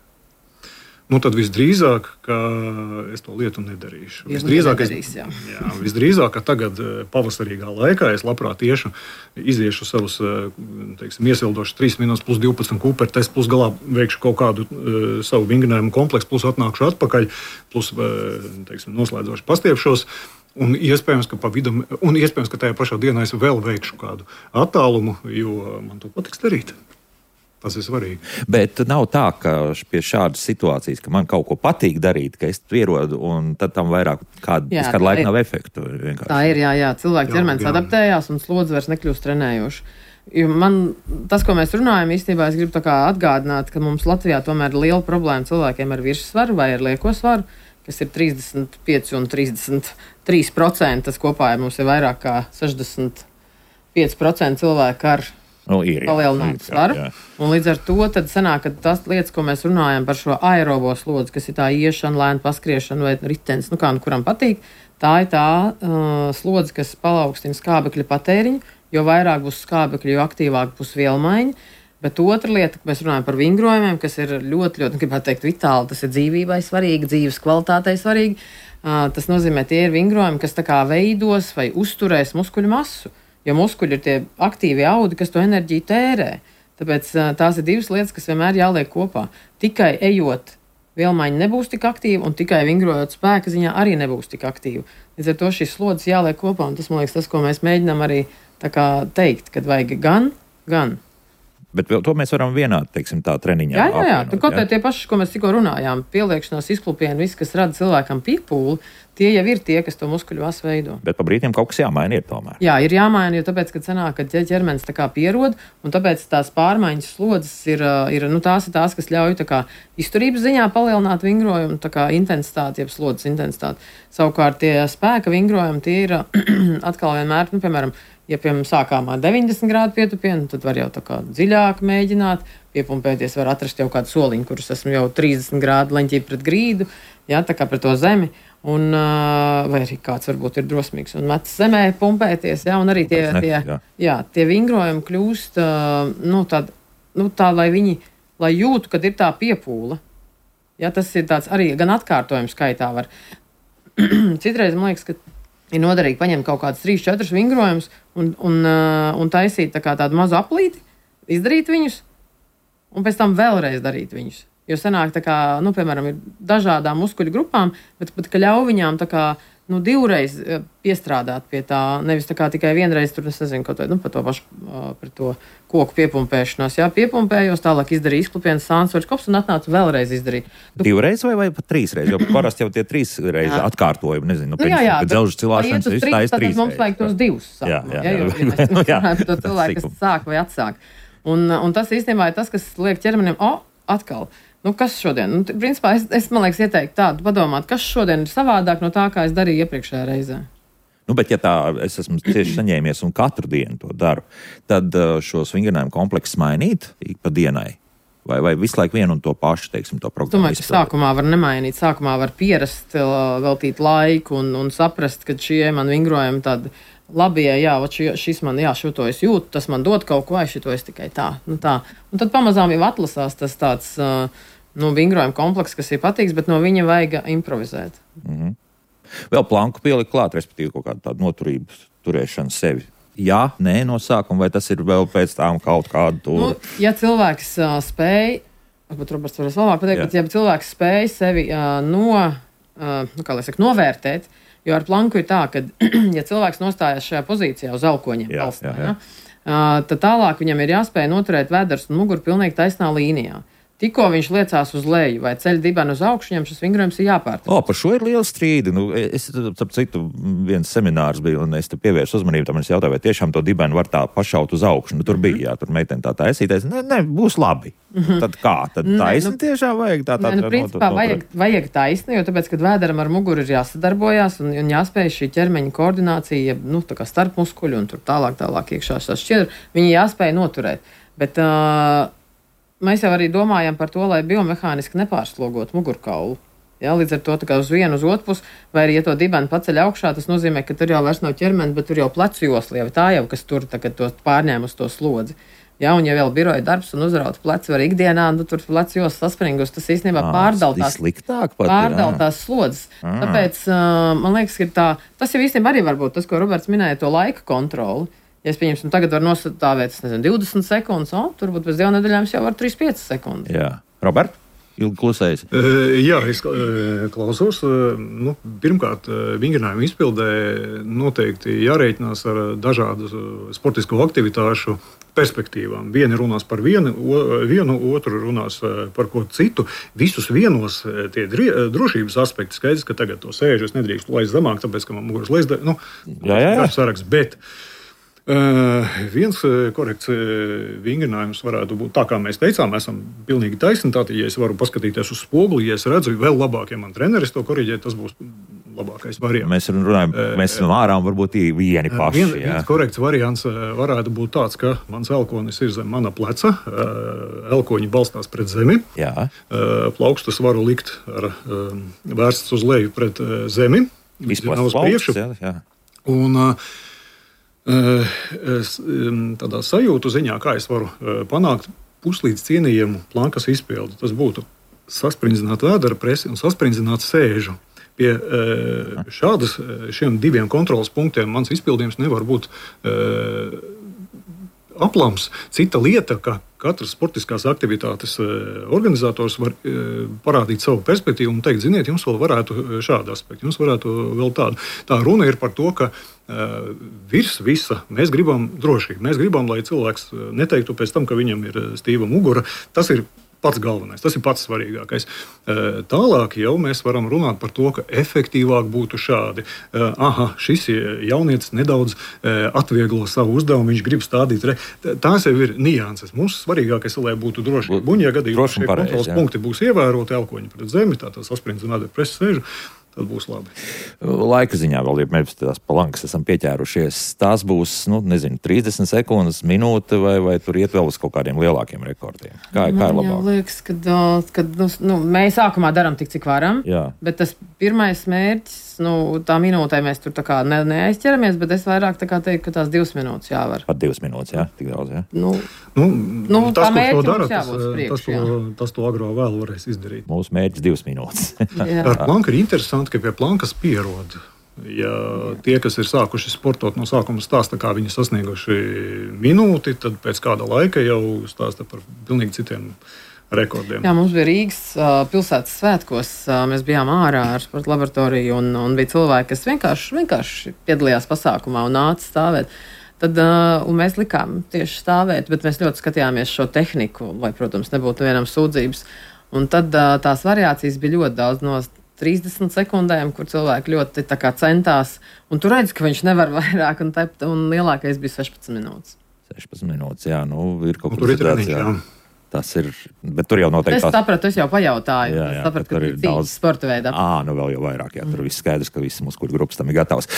Nu, tad visdrīzāk, ka es to lietu nedarīšu. Visdrīzāk, nedarīs, jā. Jā, visdrīzāk, ka tagad pavasarīgā laikā es labprāt iešu, iziešu savus, teiksim, iesildošus trīs minūtes plus divpadsmit Kūpera tests, plus galā veikšu kaut kādu uh, savu vingrinājumu kompleksu, plus atnākšu atpakaļ, plus, uh, teiksim, noslēdzoši pastiepšos. Un iespējams, ka pa vidu, un iespējams, ka tajā pašā dienā es vēl veikšu kādu attālumu, jo man to patiks darīt. Tas ir svarīgi. Bet nav tā, ka pie šādas situācijas, ka man kaut ko patīk darīt, ka es pierodu, un tad tam vairāk kādu, jā, kādu laiku nav efektu. Vienkārši. Tā ir, jā, jā. Cilvēki ķermenis adaptējās un slodze vairs nekļūst trenējoši. Jo man, tas, ko mēs runājam, īstenībā es gribu tā kā atgādināt, ka mums Latvijā tomēr ir liela problēma cilvēkiem ar virssvaru vai ar lieko svaru, kas ir trīsdesmit pieci un trīsdesmit trīs procenti. Tas kopā ir mums ir vairāk kā sešdesmit pieci procenti cilvēku ar Nu, ir, jā, palielinātu svaru. Jā, jā. Un līdz ar to tad sanāk, ka tas lietas, ko mēs runājam par šo aerobo slodzi, kas ir tā iešana, lēna paskriešana vai ritenis, nu kā nu kuram patīk, tā ir tā uh, slodze, kas palaukstina skābekļa patēriņu, jo vairāk būs skābekļa, jo aktīvāk būs vielmaiņa. Bet otra lieta, ka mēs runājam par vingrojumiem, kas ir ļoti, ļoti, gribētu teikt, vitāli, tas ir dzīvībai svarīgi, dzīves kvalitātei svarīgi. Uh, tas nozīmē, tie ir vingrojumi, kas tā kā veidos vai uzturēs muskuļu masu. Jo muskuļi ir tie aktīvi audi, kas to enerģiju tērē. Tāpēc tās ir divas lietas, kas vienmēr jāliek kopā. Tikai ejot, vielmaiņa nebūs tik aktīva, un tikai vingrojot spēka ziņā arī nebūs tik aktīva. Līdz ar to šīs slodzes jāliek kopā, un tas, man liekas, tas, ko mēs mēģinām arī tā kā teikt, kad vajag gan, gan. Bet to mēs varam vienā, teiksim, tā treniņā. Jā, jā, jā. Tur kaut kā tie paši, ko mēs tikko runājām, pieliekšanās, izklupieni, viss, kas rada cilvēkam piepūli, tie jau ir tie, kas to muskuļu masu veido. Bet pa brīdiem kaut kas jāmaina ir tomēr. Jā, ir jāmaina, jo tāpēc, kad sanāk, ka ķermenis tā kā pierod, un tāpēc tās pārmaiņas slodzes ir, ir nu, tās ir tās, kas ļauj tā kā izturības ziņā palielināt vingrojumu, tā kā intensitāti, jeb slodzes intensitāti. Savukārt tie spēka vingrojumi, tie ir atkal vienmēr, nu, piemēram, ja, piemēram, sākām ar deviņdesmit grādu pietupienu, tad var jau tā kā dziļāk mēģināt, piepumpēties, var atrast jau kādu soliņu, kurus esmu jau trīsdesmit grādu leņķī pret grīdu, jā, tā kā pret to zemi, un, vai arī kāds varbūt ir drosmīgs un metas zemē pumpēties, jā, un arī tie, tie, jā. Jā, tie vingrojumi kļūst, nu, tād, nu, tā, lai viņi, lai jūtu, kad ir tā piepūle, jā, tas ir tāds arī gan atkārtojums skaitā var. Citreiz, man liekas, ka ir noderīgi paņemt kaut kādus trīs, četrus vingrojumus un, un, un taisīt tā kā tādu mazu aplīti, izdarīt viņus un pēc tam vēlreiz darīt viņus. Jo sanāk, tā kā, nu, piemēram, ir dažādām muskuļu grupām, bet pat, ka ļauj viņām tā kā, nu, divreiz piestrādāt pie tā, nevis tā kā tikai vienreiz, tur, es nezinu, kaut vai, nu, par to pašu, par to koku piepumpēšanos, jā, piepumpējos, tālāk izdarīju izklupienas sānsvaļas kops un atnācu vēlreiz izdarīt. Tu... Divreiz vai, vai pat trīsreiz, jo parasti jau tie trīs reizi atkārtojumi, nezinu, nu, jā, jā, pēc dzelžu cilāšanas, viss tā ir trīs reizi. Mums vajag tos divus sākumus, jā, jā, jā, jo, ja mēs runājam par to cilvēku, kas sāk vai atsāk. Un, un tas īstenībā ir tas, kas liek ķermenim, o, atkal, nu, kas šodien? Nu, principā es, es, man liekas, ieteiktu tādu padomāt, kas šodien ir savādāk no tā, kā es darīju iepriekšējā reizē. Nu, bet, ja tā es esmu tieši saņēmies un katru dienu to daru, tad šos vingrinājumu kompleksus mainīt ik pa dienai? Vai, vai visu laiku vienu un to pašu, teiksim, to programmu? Domāju, ka sākumā var nemainīt, sākumā var pierast, veltīt laiku un, un saprast, ka šie man vingrojumi tādi labie, jā, šis man, jā, šo to es jūtu, tas man dod kaut ko, vai šito es tikai tā, nu tā. Un tad pamazām jau atlasās tas tāds, nu, vingrojuma kompleks, kas ir patīks, bet no viņa vajag improvizēt. Mm-hmm. Vēl planku pielikt klāt, respektīvi kaut kādu tādu noturību turēšanu sevi. Jā, nē, no sākuma, vai tas ir vēl pēc tām kaut kādu tūru? Nu, ja cilvēks uh, spēj, varbūt Roberts varēs labāk pateikt, bet ja cilvēks spēj sevi uh, no, uh, nu, kā lai saka, novērtēt, jo ar planku ir tā, ka, ja cilvēks nostājas šajā pozīcijā uz elkoņiem balstā, ja, tad tālāk viņam ir jāspēj noturēt vēders un muguru pilnīgi taisnā līnijā. Tikko viņš liecās uz leju vai ceļ dibenu uz augšu, viņam šis vingrojums ir jāpārtrauc. O, par šo ir liela strīda. Nu, es, ap citu, viens seminārs bija, un es te pievērsu uzmanību, tam es jautāju, vai tiešām to dibenu var tā pašaut uz augšu. Nu, tur mm-hmm. bija, jā, tur meitene tā taisīties. Ne, ne, būs labi. Mm-hmm. Tad kā? Tad taisni nu, tiešām vajag tā tā. Ne, nu, principā vajag, vajag taisni, jo tāpēc, kad vēderam ar muguru ir jāsadarbojās un, un jāspēj šī ķermeņa koordinācija, nu, tā kā starp muskuļu un tur tālāk, tālāk iekšā šās šķiedra, viņi jāspēj noturēt. Bet, uh, mēs jau arī domājam par to, lai biomehāniski nepārslogot mugurkaulu. Ja, līdz ar to tā kā uz vienu, uz otru pusi, vai arī, ja to dibenu paceļ augšā, tas nozīmē, ka tur jau vairs nav ķermeni, bet tur jau plecu josla, jau tā jau, kas tur tagad to pārņēma uz to slodzi. Ja, un ja vēl biroja darbs un uzraut pleci var ikdienā, nu tur plecu josla saspringus, tas īstenībā pārdaltās, pārdaltās slodzes. À. Tāpēc, uh, man liekas, ka tā, tas jau īstenībā arī var būt tas, ko Roberts minēja, to laika kontroli. Ja es pieņemsim, tagad var nostāvēt, es nezinu, divdesmit sekundes, o, turbūt pēc divām nedēļām jau var trīs piecas sekundes. Jā. Robert? ilgi klusējis. Jā, es klausos. Nu, pirmkārt, vingrinājumu izpildē noteikti jārēķinās ar dažādu sportisko aktivitāšu perspektīvām. Vieni runās par vienu, vienu, otru runās par ko citu. Visus vienos tie drošības aspekti skaidrs, ka tagad to sēžu es nedrīkstu laist zemāk, tāpēc, ka man muguras leist, nu, jā, jā, jā. Saraksts, bet Uh, viens korekts vingrinājums varētu būt tā, kā mēs teicām, mēs esam pilnīgi taisni. Tātad, ja es varu paskatīties uz spoguli, ja es redzu vēl labāk, ja man treneris to koriģē, tas būs labākais variants. Mēs runājam, mēs no ārām varbūt vieni paši. Vien, viens korekts variants varētu būt tāds, ka mans elkonis ir zem mana pleca, elkoņi balstās pret zemi, jā. Plaukstus varu likt ar vērsts uz leju pret zemi, izplest plaukstus, jā, jā. Un tādā sajūtu ziņā, kā es varu panākt puslīdz cienījamu plankas izpildi. Tas būtu sasprindzināta vēdera presi un sasprindzināta sēžu. Pie šādas, šiem diviem kontrolas punktiem mans izpildījums nevar būt aplams. Cita lieta, ka katrs sportiskās aktivitātes organizators var parādīt savu perspektīvu un teikt, ziniet, jums vēl varētu šādu aspektu, jums varētu vēl tādu. Tā runa ir par to, ka virs visa mēs gribam drošību. Mēs gribam, lai cilvēks neteiktu pēc tam, ka viņam ir stīva mugura. Tas ir pats galvenais, tas ir pats svarīgākais. Tālāk jau mēs varam runāt par to, ka efektīvāk būtu šādi. Aha, šis jaunietis nedaudz atvieglo savu uzdevumu, viņš grib stādīt. Re. Tās jau ir nianses. Mums svarīgākais, lai būtu droši. Un, ja gadījumā šie kontrols punkti būs ievēroti, elkoņi pret zemi, tātad sasprindzināta presa sēžu, tad būs labi. Laika ziņā vēl, ja mēs tās palankas esam pieķērušies, tās būs, nu, nezinu, trīsdesmit sekundes, minūte, vai, vai tur iet vēl uz kaut kādiem lielākiem rekordiem? Kā, kā ir labāk? Man liekas, ka, kad, nu, nu, mēs sākumā darām tik, cik varam, jā. Bet tas pirmais mērķis, nu, tā minūtē mēs tur tā kā ne, neaizķeramies, bet es vairāk tā kā teiktu, ka tās divas minūtes jāvar. Pat divas minūtes, jā, tik daudz, jā. Nu, nu, nu tas, tā mērķi dara, mums jābūt tas, priekš, tas, to, jā. tas to agro vēl varēs izdarīt. Mūsu mērķis divas minūtes. Ar planku ir interesanti, ka pie plankas pierod. Ja tie, kas ir sākuši sportot no sākuma stāsta, kā viņi sasnieguši minūti, tad pēc kāda laika jau stāsta par pilnīgi citiem rekordiem. Jā, mums bija Rīgas uh, pilsētas svētkos. Uh, mēs bijām ārā ar sporta laboratoriju un, un bija cilvēki, kas vienkārši, vienkārši piedalījās pasākumā un nāca stāvēt. Tad, uh, un mēs likām tieši stāvēt, bet mēs ļoti skatījāmies šo tehniku, lai, protams, nebūtu vienam sūdzības. Un tad uh, tās variācijas bija ļoti daudz no trīsdesmit sekundēm, kur cilvēki ļoti tā kā centās. Un tu redzi, ka viņš nevar vairāk, un, tept, un lielākais bija sešpadsmit minūtes. sešpadsmit minūtes, jā, nu ir kaut kas tāds, jā. Tas ir, bet tur jau noteikti... Es tās... sapratu, es jau pajautāju. Jā, jā, es sapratu, ka ir ir daudz sporta veidā. Ā, nu vēl jau vairāk, jā, tur mm. viss skaidrs, ka visi mūsu grupas tam ir gatavs.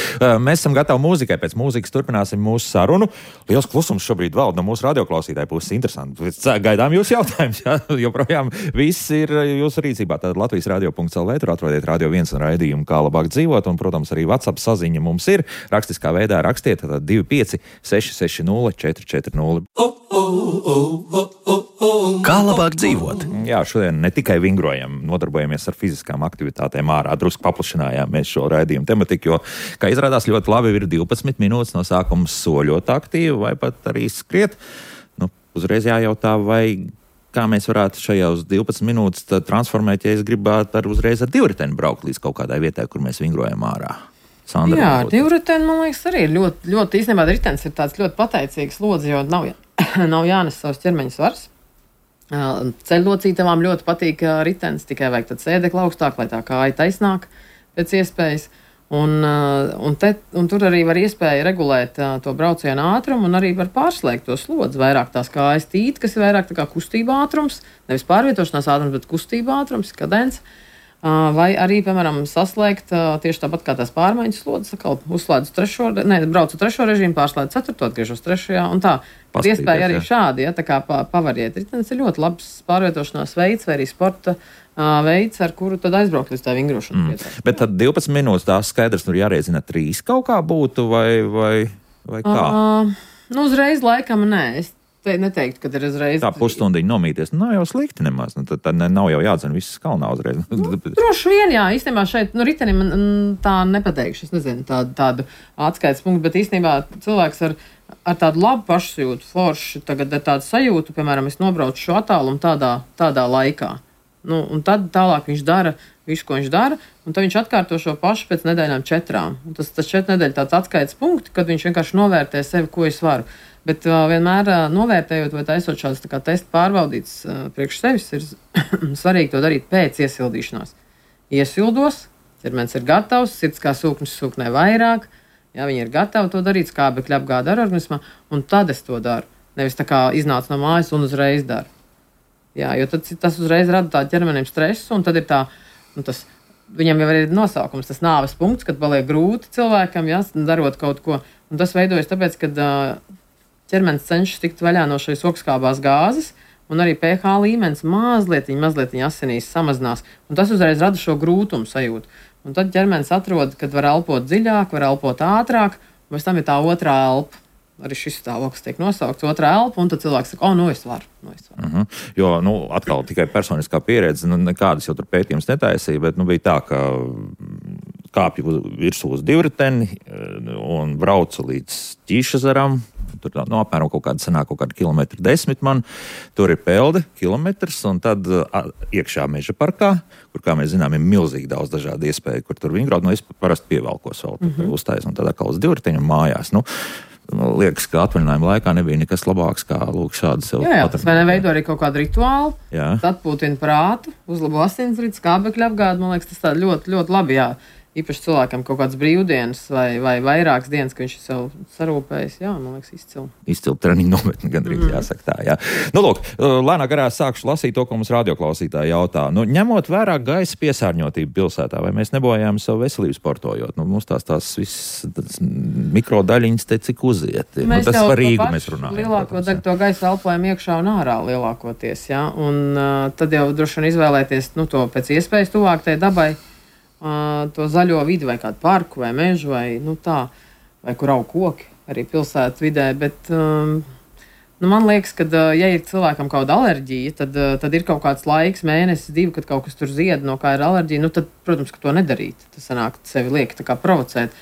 Mēs esam gatavi mūzikai, pēc mūzikas turpināsim mūsu sarunu. Liels klusums šobrīd valda no mūsu radioklausītāju puses, interesanti. Gaidām jūsu jautājums, jā, joprojām viss ir jūsu rīcībā. Tad Latvijas radio punkts el vē, tur atrodiet Radio viens un raidījumu, kā labāk dzīvot, un, protams, arī WhatsApp saziņa mums ir. Rakstiskā veidā rakstiet, tad divi pieci seši seši nulle četri četri nulle. Kā labāk dzīvot? Jā, šodien ne tikai vingrojam, nodarbojamies ar fiziskām aktivitātēm ārā, drusku paplašinājām mēs šo raidījumu tematiku, jo, kā izrādās, ļoti labi ir divpadsmit minūtes no sākuma soļot aktīvi vai pat arī skriet. Nu, uzreiz jājautā, vai kā mēs varētu šajās divpadsmit minūtes transformēt, ja es gribētu ar uzreiz ar divriteni braukt līdz kaut kādai vietai, kur mēs vingrojam ārā. Sandra, jā, divriteni, man liekas, arī ir ļoti, ļoti īstenībā ritenis ir tāds ļoti pateicīgs lodzi, jo nav, nav jānes savs ķermeņa svars. Ceļlocītavām ļoti patīk ritenis, tikai vajag tad sēdekli augstāk, lai tā kāja taisnāk pēc iespējas. Un, un, te, un tur arī var iespēja regulēt to braucienu ātrumu un arī var pārslēgt to slodzi. Vairāk tās kājas tīt, kas ir vairāk tā kā kustība ātrums, nevis pārvietošanās ātrums, bet kustība ātrums, kadence. Vai arī, piemēram, saslēgt tieši tāpat kā tās pārmaiņas slodzes, atkal uzslēdzu trešo, ne, braucu trešo režīmu, pārslēdzu ceturto, atgriežos trešajā un tā. Pastīties, iespēja arī jā. šādi, ja, tā kā pavariet. Ritenis ir ļoti labs pārvietošanās veids vai arī sporta uh, veids, ar kuru tad aizbraukt līdz tā vingrošanas mm. vietā. Bet tad divpadsmit minūtes tās skaidrs, tur jārēzina trīs kaut kā būtu vai, vai, vai kā? Uh, nu, uzreiz laikam nē, es te neteiktu, ka ir uzreiz. Tā pusstundiņa nomīties, nu, nav jau slikti nemaz, nu, tad, tad nav jau jādzen viss kalnā uzreiz. Nu, droši vien, jā, īstenībā šeit, nu, ritenim tā nepateikšu, es nezinu tādu, tādu atskaites punktu, bet īstenībā cilvēks ar, ar tādu labu pašsajūtu, forši, tagad ar tādu sajūtu, piemēram, es nobraucu šo attālumu tādā, tādā laikā. Nu, un tad tālāk viņš dara visu, ko viņš dara, un tad viņš atkārto šo pašu pēc nedēļām četrām. Un tas tas četru nedēļu tāds atskaites punkti, kad viņš vienkārši novērtē sevi, ko es varu. Bet uh, vienmēr uh, novērtējot vai taisot šādas tā kā testa pārbaudītas uh, priekš sevis, ir svarīgi to darīt pēc iesildīšanās. Iesildos, ķermenis ir gatavs, sirds kā sūknis sūknē vairāk, ja viņi ir gatavi to darīt, skābekļa apgāde ar organismā, un tad es to daru. Nevis tā kā iznāc no mājas un uzreiz daru. Jā, jo tad, tas uzreiz rada tādu ķermenim stresu, un tad ir tā, nu, tas, viņam jau ir nosaukums, tas nāves punkts, kad paliek grūti cilvēkam, ja, darot kaut ko. Un tas veidojas tāpēc, kad uh, ķermenis cenšas tikt vaļā no šīs okskābās gāzes, un arī pH līmenis mazliet, mazliet asinīs samazinās, un tas uzreiz rada šo grūtumu sajūtu. Un tad ķermenis atrod, kad var elpot dziļāk, var elpot ātrāk, un pēc tam ir tā otrā elpa. Arī šis stāvoklis tiek nosaukts otrā elpa, un tad cilvēks saka, o, nu es varu. Nu, es varu. Uh-huh. Jo, nu, atkal tikai personiskā pieredze, nu, nekādas jau tur pētījums netaisīja, bet, nu, bija tā, ka kāpju virsū uz divriteni un braucu līdz Ķīšezaram. Tur, nu, apmēram kaut kāda sanāk, kaut kāda kilometra desmit man. Tur ir pelde, kilometrs, un tad a, iekšā meža parkā, kur, kā mēs zinām, ir milzīgi daudz dažādu iespēju, kur tur vingrot, nu, es parasti pievelkos vēl, tad uh-huh. uztais, un tad atkal uz divriteņu mājās, nu, liekas, ka atvaļinājuma laikā nebija nekas labāks, kā lūk šādi sev. Jā, jā, tas vai neveido arī kaut kādu rituālu, jā. atpūtina prātu, uzlabo asinsrites, skābekļa apgādi, man liekas, tas tā ļoti, ļoti labi, jā. Īpaši cilvēkam kaut kāds brīvdienas vai, vai vairākas dienas, ka viņš ir sev sarūpējis, jā, man liekas, izcili. Izcili treniņu nometni, gandrīz mm. jāsaka tā, jā. Nu, lūk, lēnā garā sākšu lasīt to, ko mums radioklausītāji jautā. Nu, ņemot vērā gaisa piesārņotību pilsētā, vai mēs nebojājam savu veselību sportojot? Nu, mums tās tās viss mikrodaļiņas te cik uziet. Nu, tas par Rīgu mēs runājam. Lielāko daļu to gaisa elpojam iekšā un ārā lielākoties, jā. Un uh, tad jau droši vien izvēlēties, nu, to pēc iespējas tuvāk tai dabai. Uh, to zaļo vidi vai kādu parku vai mežu vai, nu tā, vai kur aug koki arī pilsētas vidē, bet um, nu man liekas, ka, uh, ja ir cilvēkam kaut kāda alerģija, tad, uh, tad ir kaut kāds laiks, mēnesis, divi, kad kaut kas tur zied, no kā ir alerģija, nu tad, protams, ka to nedarīt. Tas sanāk, sevi liek tā kā provocēt.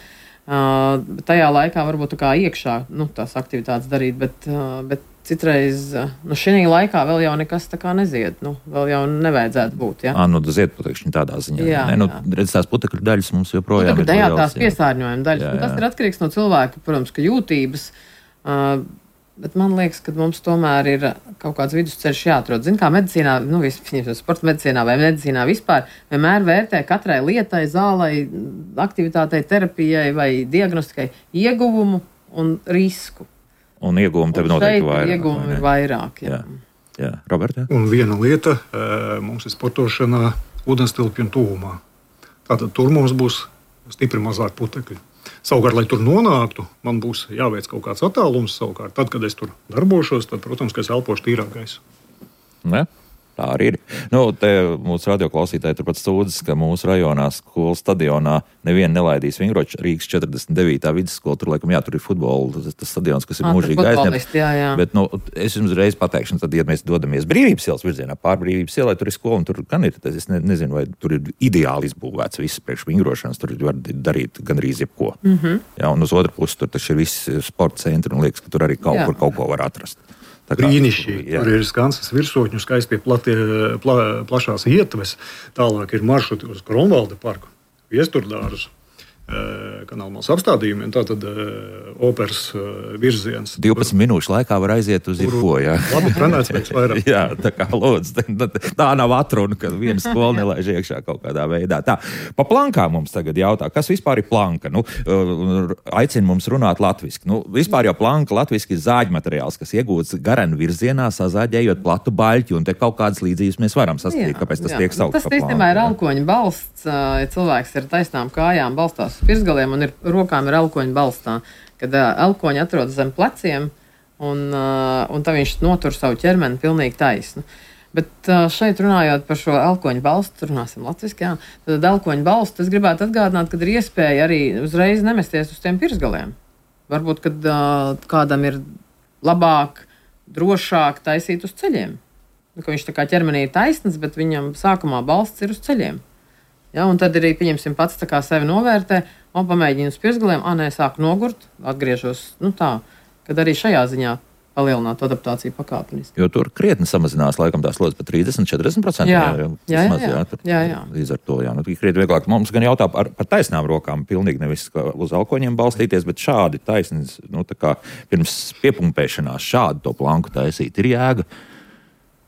Uh, tajā laikā varbūt tā kā iekšā, nu, tās aktivitātes darīt, bet, uh, bet citreiz, nu, šī laikā vēl jau nekas tā kā nezied, nu, vēl jau nevajadzētu būt, ja? Ā, nu, zied putekšņi tādā ziņā. Jā, ne, nu, jā. redz, tās putekļu daļas mums joprojām putekļu ir daļā, liels. Tās piesārņojuma daļas, jā, jā. Tas ir atkarīgs no cilvēka, protams, ka jūtības, uh, bet man liekas, ka mums tomēr ir kaut kāds vidusceļš jāatrod. Zin, kā medicīnā, nu, vispār sporta medicīnā vai medicīnā vispār, vienmēr vērtē katrai lietai, zālei, aktivitātei, terapijai vai diagnostikai ieguvumu un risku. Un iegūmi tev noteikti vairāk. Iegūmi ir vairāk, jā. jā. jā. Roberta? Un viena lieta mums ir sportošanā ūdenstilpju tuvumā. Tātad tur mums būs stipri mazāk putekļi. Savukārt, lai tur nonāktu, man būs jāveic kaut kāds attālums savukārt. Tad, kad es tur darbošos, tad, protams, ka es elpošu tīrāk gaisu. Ne? Tā arī ir. Nu, te mūsu radioklausītāji turpat sūdzas, ka mūsu rajonā skolas stadionā nevienu nelaidīs vingrot. Rīgas četrdesmit devītā vidusskola, tur laikam jā, tur ir futbola, tas stadions, kas ir mūžīgi aizņemts. Bet, nu, es jums reiz pateikšu, tad, ja mēs dodamies Brīvības ielas virzienā, pār Brīvības ielai, tur ir skola, un tur gan ir, es ne, nezinu, vai tur ir ideāli izbūvēts viss priekš vingrošanas, tur var darīt gandrīz jebko. Mm-hmm. Jā, un uz otru pusi tur taču ir viss sporta centri, un liekas, ka tur arī kaut jā. kur kaut ko var atrast. Brīnišķīgi. Tur ir Skansas virsotņu, skaistie platie, pla, plašās ietves. Tālāk ir maršruti uz Kronvalda parku, Viesturdārzu, Kanālmāls apstādījumiem, tātad operas virziens. divpadsmit minūšu laikā var aiziet uz jebko, jā. Labi trenēts pēc vairāk. Jā, tā kā lūdzu, tā nav atruna, ka viena skola nelaiž iekšā kaut kādā veidā. Tā, pa plankām mums tagad jautā, kas vispār ir planka? Nu, aicina mums runāt latviski. Nu, vispār jau planka latviski ir zāģmateriāls, kas iegūts garenu virzienā, sazāģējot platu baļķi, un te kaut kādas līdzības mēs varam sastīt, kāpēc tas jā. tiek saukts tas, pa planku. Tas īstenībā ir elkoņa balsts, ja cilvēks ir taisnām kājām balstās pirsgaliem un ir, rokām ir elkoņa balstā, kad uh, elkoņi atrodas zem pleciem un, uh, un tā viņš notur savu ķermeni pilnīgi taisnu. Bet uh, šeit runājot par šo elkoņu balstu, runāsim latviski, jā, tad elkoņu balstu es gribētu atgādināt, kad ir iespēja arī uzreiz nemesties uz tiem pirsgaliem. Varbūt, kad uh, kādam ir labāk, drošāk taisīt uz ceļiem. Ka viņš tā kā ķermenī ir taisns, bet viņam sākumā balsts ir uz ceļiem. Ja, un tad arī, pieņemsim, pats tā kā sevi novērtē, un pamēģina uz pirsgaliem, ā, nē, sāku nogurt, atgriežos, nu tā, kad arī šajā ziņā palielināt adaptāciju pakāpeniski. Jo tur krietni samazinās laikam tās slodzes par trīsdesmit līdz četrdesmit procentiem. Jā, jā, jā, jā, maz, jā, tur, jā, jā. Līdz ar to, jā, nu, krietni vieglāk. Mums gan jautā par, par taisnām rokām, pilnīgi nevis uz alkoņiem balstīties, bet šādi taisnīs, nu, tā kā pirms piepumpēšanās šādu to planku taisīt ir jēga.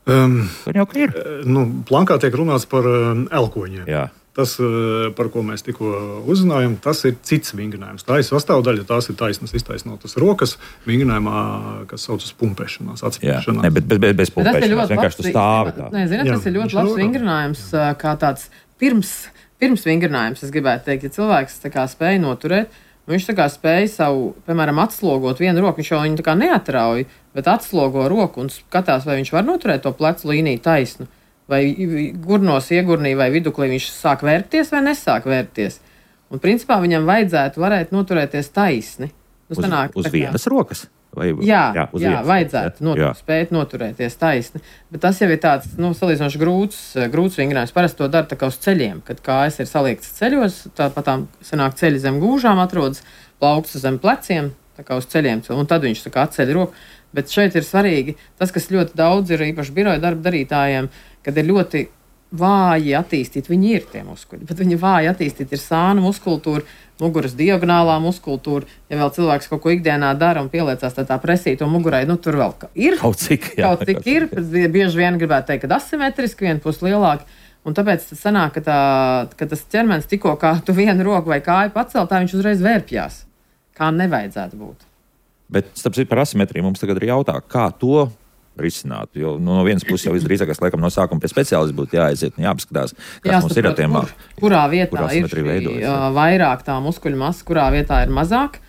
Um, Tur jau ka ir. Nu, plankā tiek runāts par um, elkoņiem. Jā. Tas, par ko mēs tikko uzzinājām, tas ir cits vingrinājums. Tā ir sastāvdaļa, tās ir taisnas, iztaisnotas rokas vingrinājumā, kas saucas pumpēšanās, atspēršanās. Ne, bet bez, bez, bez pumpēšanās, vienkārši tu stāvi tā. Nē, zināt, tas ir ļoti labs vingrinājums, kā tāds pirms, pirms vingrinājums, es gribētu teikt, ja cilvēks tā kā spēja noturēt, un viņš tā kā spēja savu, piemēram, atslogot vienu roku, viņš jau viņu tā kā neatrauj, bet atslogo roku un skatās, vai viņš var noturēt to plecu līniju taisnu. Vai gurnos, iegurnī vai viduklī viņš sāk vērpties vai nesāk vērpties. Un principā viņam vajadzētu varēt noturēties taisni. Nu, Uz, sanāk, uz kā... vienas rokas? Vai... Jā, jā, uz jā vienas, vajadzētu not, jā. spēt noturēties taisni. Bet tas jau ir tāds, nu, salīdzinoši grūts, grūts vingrinājums. Parasti to dara tā kā uz ceļiem, kad kājas ir saliektas ceļos, tāpat tām sanāk ceļi zem gūžām atrodas, plaukts zem pleciem, tā kā uz ceļiem, un tad viņš tā kā atceļ roku. Bet šeit ir svarīgi tas, kas ļoti daudz ir īpaši biroja darba darītājiem, kad ir ļoti vāji attīstīti, viņi ir tie muskuļi, bet viņi vāji attīstīti ir sānu muskultūra, muguras diagonālā muskultūra. Ja vēl cilvēks kaut ko ikdienā dara un pieliecās tā, tā presīto mugurai, nu tur vēl ir. Kaut cik, jā, kaut cik ir, bieži vien gribētu teikt, ka asimetriski, viena puse lielāka. Un tāpēc tas sanāk, ka, tā, ka tas ķermenis tikko kā tu vienu roku vai kāju pacelt, tā viņš uzreiz vērpjās. Kā nevajadzētu būt. Bet, starp citu, par asimetriju mums tagad ir jautā, kā to risināt. Jo nu, no vienas puses jau visdrīzākais, laikam, no sākuma pie speciālista būtu jāaiziet un jāapskatās, kas Jāsaprot, mums ir ar tiem. Kur, kurā vietā ir veidojas, uh, vairāk tā muskuļu masa, kurā vietā ir mazāk.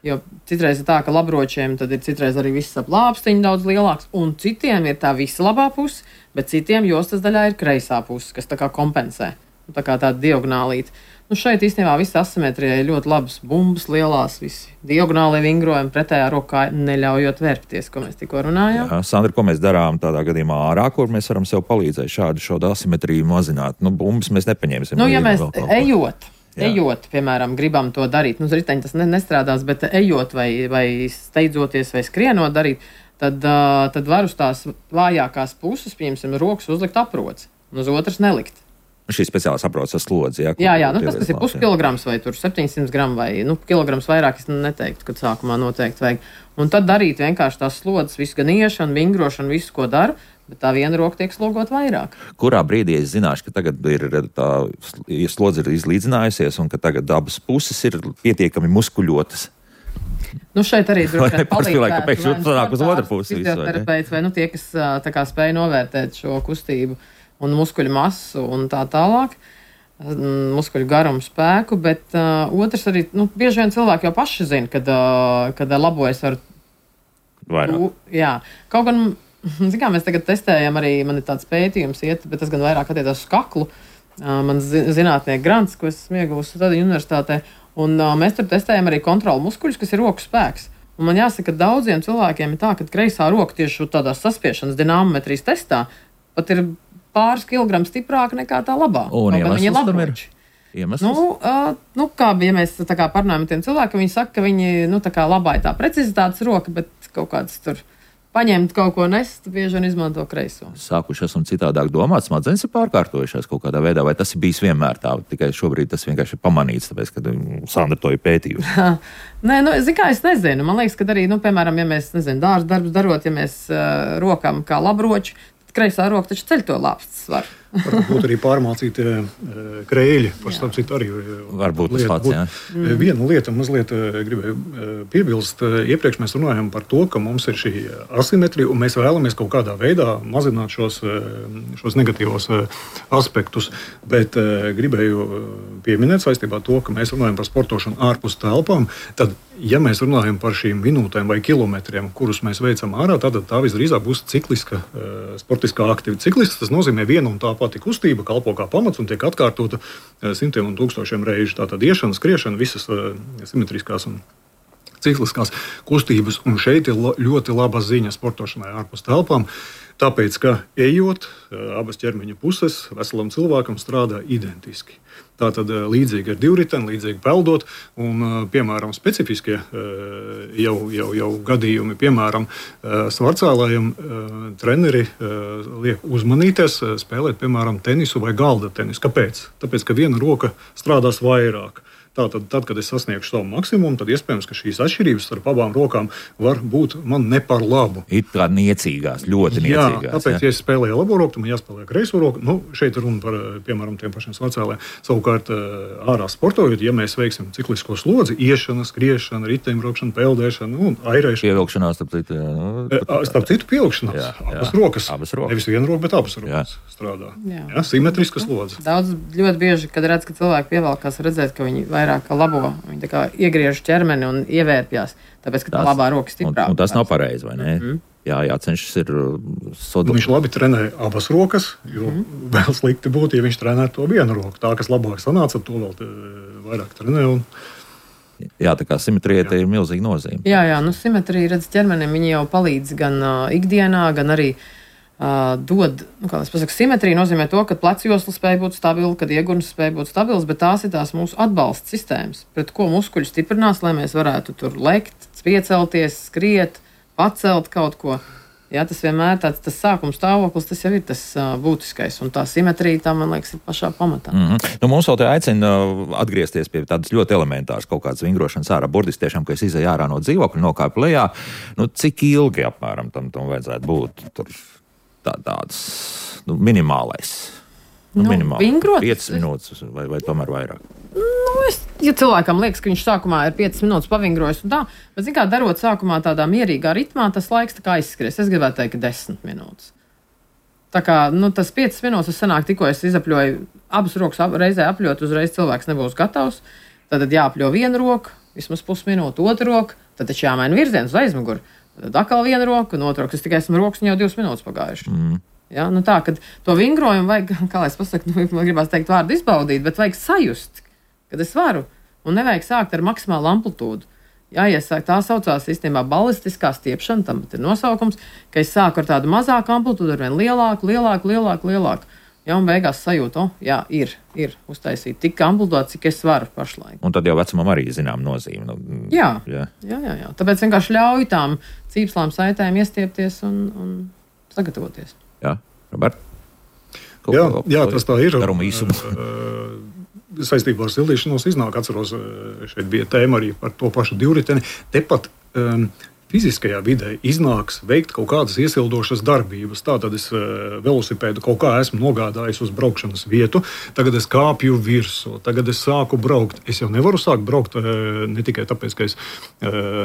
Jo citreiz ir tā, ka labročiem tad ir citreiz arī viss ap lāpstiņu daudz lielāks, un citiem ir tā visa labā puse, bet citiem jostas daļā ir kreisā puse, kas tā kā kompensē. Tā kā tāda diagonālīta. Nu šeit īstenībā visa asimetrija ir ļoti labas bumbas, lielās, visi diagonālie vingrojumi, pretējā rokā neļaujot vērpties, ko mēs tikko runājām. Jā, Sandra, ko mēs darām tādā gadījumā ārā, kur mēs varam sev palīdzēt šādu šo asimetriju mazināt? Nu, bumbas mēs nepaņemsim. Nu, ja mēs ejot, Jā. ejot, piemēram, gribam to darīt, nu, uz riteņa tas ne, nestrādās, bet ejot vai, vai steidzoties vai skrienot darīt, tad, uh, tad var uz tās vājākās puses, piemēram, rokas uzlikt aproci, un uz otras nelikt. Šī speciālā saprotas ar slodzi. Jā, jā, jā nu, tas, kas ir puskilograms vai septiņsimt gramu vai nu, kilograms vairāk, es neteiktu, kad sākumā noteikti vajag. Un tad darīt vienkārši tās slodzes, visu gan iešanu, vingrošanu, visu, ko daru, bet tā viena roka tiek slogot vairāk. Kurā brīdī es zināšu, ka tagad ir tā slodze ir izlīdzinājusies un ka tagad abas puses ir pietiekami muskuļotas? Nu šeit arī droši vien palīdzētu. Kāpēc jūs sanāk uz otru pusi? Fizioterapeits vai nu tie, kas tā kā spēj novērtēt šo kustību un muskuļu masu un tā tālāk, muskuļu garumu spēku, bet uh, otrs arī, nu, bieži vien cilvēki jau paši zina, kad, uh, kad labojas ar... Vairāk. U, jā, kaut gan, zin kā, mēs tagad testējam arī, man ir tāds pētījums iet, bet tas gan vairāk attiecās uz kaklu, uh, man zinātnieki grants, ko es esmu ieguvusi Tadiņu universitātē, un uh, mēs tur testējam arī kontrolu muskuļus, kas ir roku spēks. Un man jāsaka, ka daudziem cilvēkiem ir tā, ka kreisā roka tieši tādā saspiešanas dināmometrijas testā pat ir pāris kilogramu stiprāka nekā tā labā. Un iemesls tam ir? Iemesls? Nu, uh, nu, kā, ja mēs tā kā parunājam ar tiem cilvēkiem, viņi saka, ka viņi, nu, tā kā labā ir tā precizitātes roka, bet kaut kāds tur paņemt kaut ko nest, bieži vien izmanto kreiso. Sākuši esam citādāk domāt, smadzenes ir pārkārtojušās kaut kādā veidā, vai tas ir bijis vienmēr tā, tikai šobrīd tas vienkārši ir pamanīts, tāpēc, ka Sandra to ir pētījusi. Nē, nu, zin kā, es nezinu. Man liekas, ka arī, nu, piemēram, ja mēs, nezinu, dārza darbus darot, ja mēs uh, rokam kā labroči, kreisā roka taču ceļ to lāpstas svaru. Varbūt arī pārmācīti krēļi. Starp citu, arī varbūt tas pats, jā. Mm. Viena lieta mazliet gribēju piebilst. Iepriekš mēs runājam par to, ka mums ir šī asimetrija, un mēs vēlamies kaut kādā veidā mazināt šos, šos negatīvos aspektus. Bet gribēju pieminēt saistībā to, ka mēs runājam par sportošanu ārpus telpām. Tad, ja mēs runājam par šīm minūtēm vai kilometriem, kurus mēs veicam ārā, tad tā visdrīzāk būs cikliska, sportiskā aktivitāte. Ciklisks tas nozīmē vienu un tā pati kustība, kalpo kā pamats un tiek atkārtota simtiem un tūkstošiem reižu. Tātad iešana, skriešana, visas simetriskās un cikliskās kustības. Un šeit ir ļoti laba ziņa sportošanai ārpus telpām. Tāpēc, ka ejot, abas ķermeņa puses veselam cilvēkam strādā identiski. Tātad līdzīgi ar divriteni, līdzīgi peldot, un, piemēram, specifiskie jau, jau, jau gadījumi, piemēram, svarcēlājiem treneri liek uzmanīties, spēlēt, piemēram, tenisu vai galda tenisu. Kāpēc? Tāpēc, ka viena roka strādās vairāk. Tātad, tad, kad es sasniegšu savu maksimumu, tad iespējams, ka šīs atšķirības starp abām rokām var būt man ne par labu. Ir tā niecīgās, ļoti niecīgās. Jā, tāpēc, ja es spēlēju labo roku, tad man jāspēlē kreiso roku. Nu, šeit ir runa par, piemēram, tiem pašiem svarcēlēm. Savukārt, ārā sportojot, ja mēs veiksim ciklisko slodzi, iešana, skriešana, riteņbraukšana, peldēšana, nu, airēšana. Pievilkšanās, starp citu. Nu, starp citu, pievilkšanās. Jā, jā. Abas rokas. Abas rokas. Nevis viena roka, bet abas rokas jā. Strādā. Jā. Jā, simetriska slodze. Daudz ļoti bieži, kad redz, ka cilvēki pievelkās, redzēt, ka viņi vairāk kā labo, viņi tā kā iegriež ķermeni un ievērpjās, tāpēc, ka tā tas, labā roka stiprāk. Un, un tas nav pareizi, vai ne? Mm-hmm. Jā, jācenšas ir sodu. Viņš labi trenē abas rokas, jo mm-hmm. vēl slikti būtu, ja viņš trenē to vienu roku. Tā, kas labāk sanāca, to vēl vairāk trenē. Un... Jā, tā kā simetrija te ir milzīga nozīme. Jā, jā, nu simetrija, redz, ķermenim viņi jau palīdz gan uh, ikdienā, gan arī Uh, dod, nu, kā es pasaku, simetrija nozīmē to, ka plecjosla spēja būt stabila, kad iegurns spēja būt stabils, bet tās ir tās mūsu atbalsta sistēmas, pret ko muskuļi stiprinās, lai mēs varētu tur lekt, piecelties, skriet, pacelt kaut ko. Jā, tas vienmēr tāds tas sākuma stāvoklis, tas jau ir tas uh, būtiskais, un tā simetrija, tā, man liekas, ir pašā pamatā. Mm-hmm. Nu, mums vēl te aicina atgriezties pie tādas ļoti elementāras kaut kādas vingrošanas ārā, burtiski tiešām, ka es izēju ārā no dzīvokļa, nokāpu lejā, nu, cik ilgi apmēram tam, tam vajadzētu būt tur? Tā, tāds nu, minimālais. Nu, nu, minimāli. Vingrot? piecas minūtes vai, vai tomēr vairāk? Nu, es, ja cilvēkam liekas, ka viņš sākumā ir piecas minūtes pavingrojis un tā, bet, zin kā, darot sākumā tādā mierīgā ritmā, tas laiks tā kā aizskries. Es gribētu teikt, ka desmit minūtes. Tā kā, nu, tas piecas minūtes sanāk, tikko es izapļoju abas rokas ap, reizē apļot, uzreiz cilvēks nebūs gatavs. Tad jāapļo vienu roku, vismaz pusminūtu, otru roku, tad taču jāmaina virziens uz aizmuguri. Tad atkal viena roka, un otru roku. Es tikai esmu rokas, un jau divas minūtes pagājuši. Mm. Ja, nu tā, kad to vingrojumu vajag, kā lai es pasaku, nu, man gribās teikt vārdu izbaudīt, bet vajag sajust, kad es varu, un nevajag sākt ar maksimālu amplitūdu. Jāiesāk, tā saucās īstenībā balistiskā stiepšana, tam ir nosaukums, ka es sāku ar tādu mazāku amplitūdu, ar vien lielāku, lielāku, lielāku, lielāku. Ja, un beigās sajūta, oh, jā, ir, ir uztaisīt tik amplitūdu, cik es varu pašlaik. Un tad jau vecumam arī zinām nozīme. Nu, jā, jā. Jā, jā, jā. Tāpēc vienkārši ļauj tām cīpslām saitēm iestiepties un, un sagatavoties. Jā, Robert? Kaut jā, ko, jā, tas tā ir. Daruma īsumu. Saistībā ar sildīšanos iznāk, atceros, šeit bija tēma arī par to pašu divriteni. Tepat um, fiziskajā vidē iznāks veikt kaut kādas iesildošas darbības. Tātad es velosipēdu kaut kā esmu nogādājis uz braukšanas vietu, tagad es kāpju virsū, tagad es sāku braukt. Es jau nevaru sākt braukt ne tikai tāpēc, ka es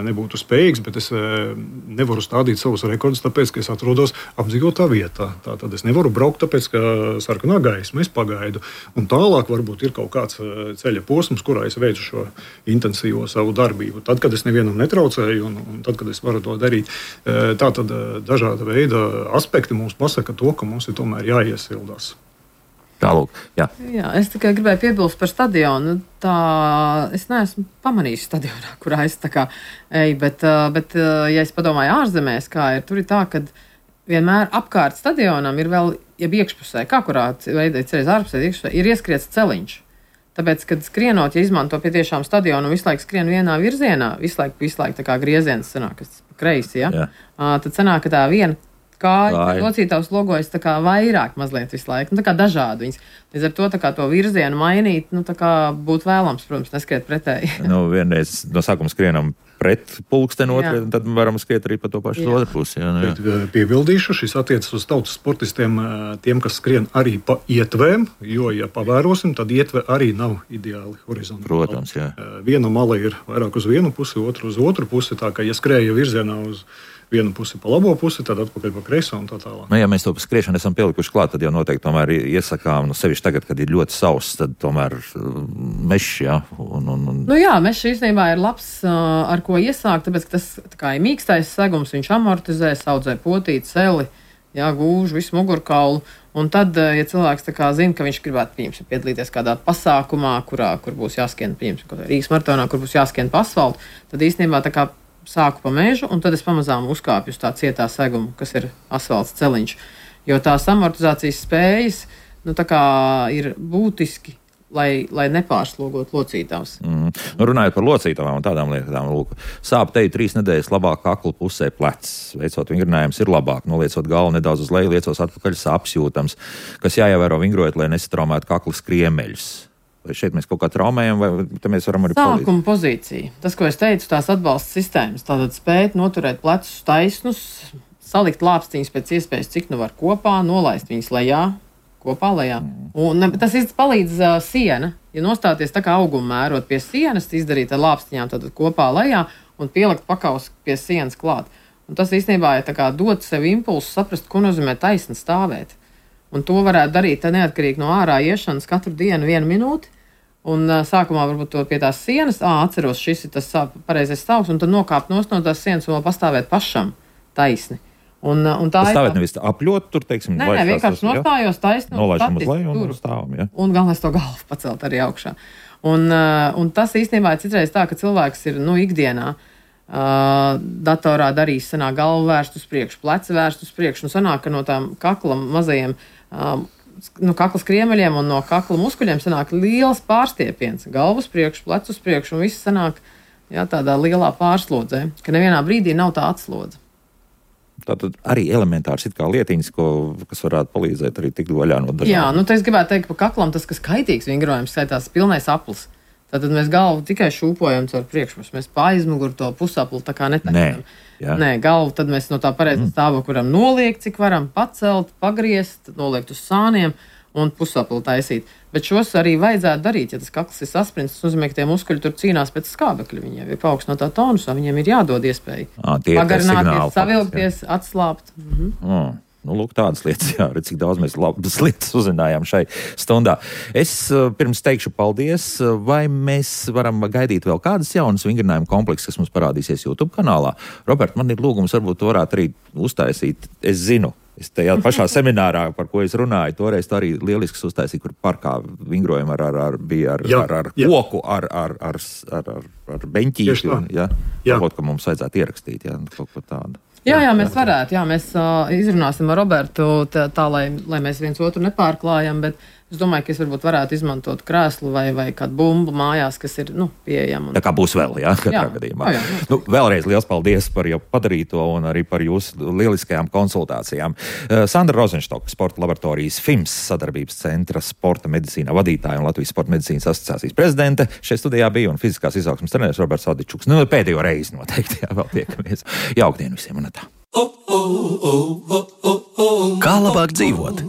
nebūtu spējīgs, bet es nevaru stādīt savus rekordus, tāpēc, ka es atrodos apdzīvotā vietā. Tātad es nevaru braukt, tāpēc, ka sarkanā gaisma, es pagaidu. Un tālāk varbūt ir kaut kāds ceļa posms, kurā es veicu šo intensīvo savu darbību. Tad, kad es nevienam netraucēju un, un tad, kad es varu to darīt. Tātad dažāda veida aspekti mums pasaka to, ka mums ir tomēr jāiesildās. Tālūk, jā. Jā, es tikai gribēju piebilst par stadionu. Tā, es neesmu pamanījis stadionā, kurā es tā kā eju, bet, bet ja es padomāju ārzemēs, kā ir, tur ir tā, ka vienmēr apkārt stadionam ir vēl, ja iekšpusē, kā kurā veidē ceļas ārpusē, iekšpusē, ir ieskriets celiņš. Tāpēc, kad skrienot, ja izmanto pie tiešām stadionu un visu laiku skrien vienā virzienā, visu laiku, visu laiku tā kā grieziens sanāk, kas pa kreisi, ja? Jā. Uh, tad sanāk, ka tā viena kāja locītavs logojas tā kā vairāk mazliet visu laiku, nu tā kā dažādi viņas. Līdz ar to tā kā to virzienu mainīt, nu tā kā būtu vēlams, protams, neskriet pretēji. Nu, vienreiz no sākuma skrienam pret pulksteni, otru, tad varam skriet arī pa to pašu otru pusi. Jā, nu, jā. Piebildīšu, šis attiecas uz tautas sportistiem, tiem, kas skrien arī pa ietvēm, jo, ja pavērosim, tad ietve arī nav ideāli horizontāli. Protams, jā. Viena mala ir vairāk uz vienu pusi, otru uz otru pusi, tā kā ja skrēja virzienā uz vienu pusi pa labo pusi, tad atpakaļ pa kreiso un tā tālāk. Nu, ja mēs to skriešanu esam pielikuši klāt, tad jau noteikti tomēr iesakām, nu, sevišķi tagad, kad ir ļoti sauss, tad tomēr mešs, jā. Un, un, un... Nu jā, mešs īstenībā ir labs, ar ko iesākt, tāpēc, ka tas tā kā ir mīkstais segums, viņš amortizē, saudzē potīt, celi, jā, gūž visu mugurkaulu. Un tad, ja cilvēks tā kā zina, ka viņš gribētu, pieņemsim, piedalīties kādā pasākumā, kurā, kur būs jāskrien, pieņemsim, Rīgas maratonā, kur būs jāskrien pa asfaltu, tad īstenībā tā kā sāku pa mežu, un tad es pamazām uzkāpju uz tā cietā segumu, kas ir asfalts celiņš. Jo tās amortizācijas spējas nu, tā kā ir būtiski, lai, lai nepārslogot locītavas. Mm. Nu, runājot par locītavām un tādām lietām, lūk, sāp teju trīs nedēļas labāk kakla pusē plecs. Veicot vingrinājums ir labāk, noliecot galvu nedaudz uz leju, liecos atpakaļ sāpes jūtams, kas jāievēro vingrojot, lai nesatraumētu kaklas kriemeļus. Vai šeit mēs kaut kā traumējam, vai te mēs varam arī palīdzēt? Sākuma pozīcija. Tas, ko es teicu, tās atbalsta sistēmas. Tātad spēt noturēt plecus taisnus, salikt lāpstiņus pēc iespējas, cik nu var kopā, nolaist viņus lejā, kopā lejā. Un tas īsti palīdz uh, siena. Ja nostāties tā kā auguma mērot pie sienas, izdarīt ar lāpstiņām tad kopā lejā un pielikt pakaus pie sienas klāt. Un tas īstenībā ir tā kā dot sev impulsu saprast, ko nozīmē taisni stāvēt. Un to varētu darīt neatkarīgi no ārā iešanas katru dienu vienu minūti. Un uh, sākumā varbūt to pie tās sienas, ā, atceros, šis ir tas pareizais stāvs, un tad nokāpt nost no tās sienas un vēl pastāvēt pašam taisni. Un, un tā tas ir stāvēt nevis apļot tur, teiksim, nē, nē, vienkārši nostājos taisni. Nolaišam uz leju un stāvam, ja? Un galvenais to galvu pacelt arī augšā. Un, uh, un tas īstenībā ir citreiz tā, ka cilvēks ir, nu, ikdienā uh, datorā darīs, sanāk galvu vērst uz priekšu, pleci vērst uz priekšu, un sanāk, ka no tām kakla mazajiem, uh, no kaklas kriemeļiem un no kakla muskuļiem sanāk liels pārstiepiens, galvu uz priekšu, pleci uz priekšu, un viss sanāk, jā, tādā lielā pārslodzē, ka nevienā brīdī nav tā atslodze. Tātad arī elementārs it kā lietiņas, ko, kas varētu palīdzēt arī tikt vaļā no dažādiem. Jā, nu te es gribētu teikt, pa kaklam tas, kas kaitīgs vingrojums, skaitās pilnais aplis. Tātad mēs galvu tikai šūpojam caur priekšpusi. Mēs pa aizmuguru to pusapli tā kā netaisam. Nē, Nē, galvu tad mēs no tā pareizā mm. stāvokļa varam noliekt, cik varam pacelt, pagriezt, noliekt uz sāniem un pusapli taisīt. Bet šos arī vajadzētu darīt, ja tas kakls ir saspringts, tas nozīmē, ka tie muskuļi tur cīnās pēc skābekļa. Viņiem ir paaugstinātā tonusā, viņiem ir jādod iespēja à, pagarināties, savilkties, jā. Atslābt. Mhm. Mm. Nu, lūk, tādas lietas, jā, redz, cik daudz mēs labas lietas uzzinājām šai stundā. Es pirms teikšu paldies, vai mēs varam gaidīt vēl kādas jaunas vingrinājumu komplekses, kas mums parādīsies YouTube kanālā. Robert, man ir lūgums, varbūt tu varētu arī uztaisīt, es zinu, es tajā pašā seminārā, par ko es runāju, toreiz tā arī lielisks uztaisīja, kur parkā vingrojumi ar, ar, ar, bija ar, jā, ar, ar jā. koku, ar, ar, ar, ar, ar, ar beņķīti. Un, ja, kaut ko mums vajadzētu ierakstīt, ja, kaut ko tādu. Jā, jā, mēs varētu, jā, mēs uh, izrunāsim ar Robertu tā, tā lai, lai mēs viens otru nepārklājam, bet es domāju, ka es varbūt varētu izmantot krēslu vai, vai kādu bumbu mājās, kas ir, nu, pieejama. Un... Tā kā būs vēl, jā, katrā jā. gadījumā. Jā, jā, nu, vēlreiz liels paldies par jau padarīto un arī par jūsu lieliskajām konsultācijām. Uh, Sandra Rozenštoka, Sporta laboratorijas F I M S sadarbības centra sporta medicīnā vadītāja un Latvijas sporta medicīnas asociācijas prezidente. Šeit studijā bija un fiziskās izaugsmes treneris Roberts Adičuks. Nu, pēdējo reizi noteikti, jā, vēl tiekamies. Jauktdien visiem un tā. Kā labāk dzīvot?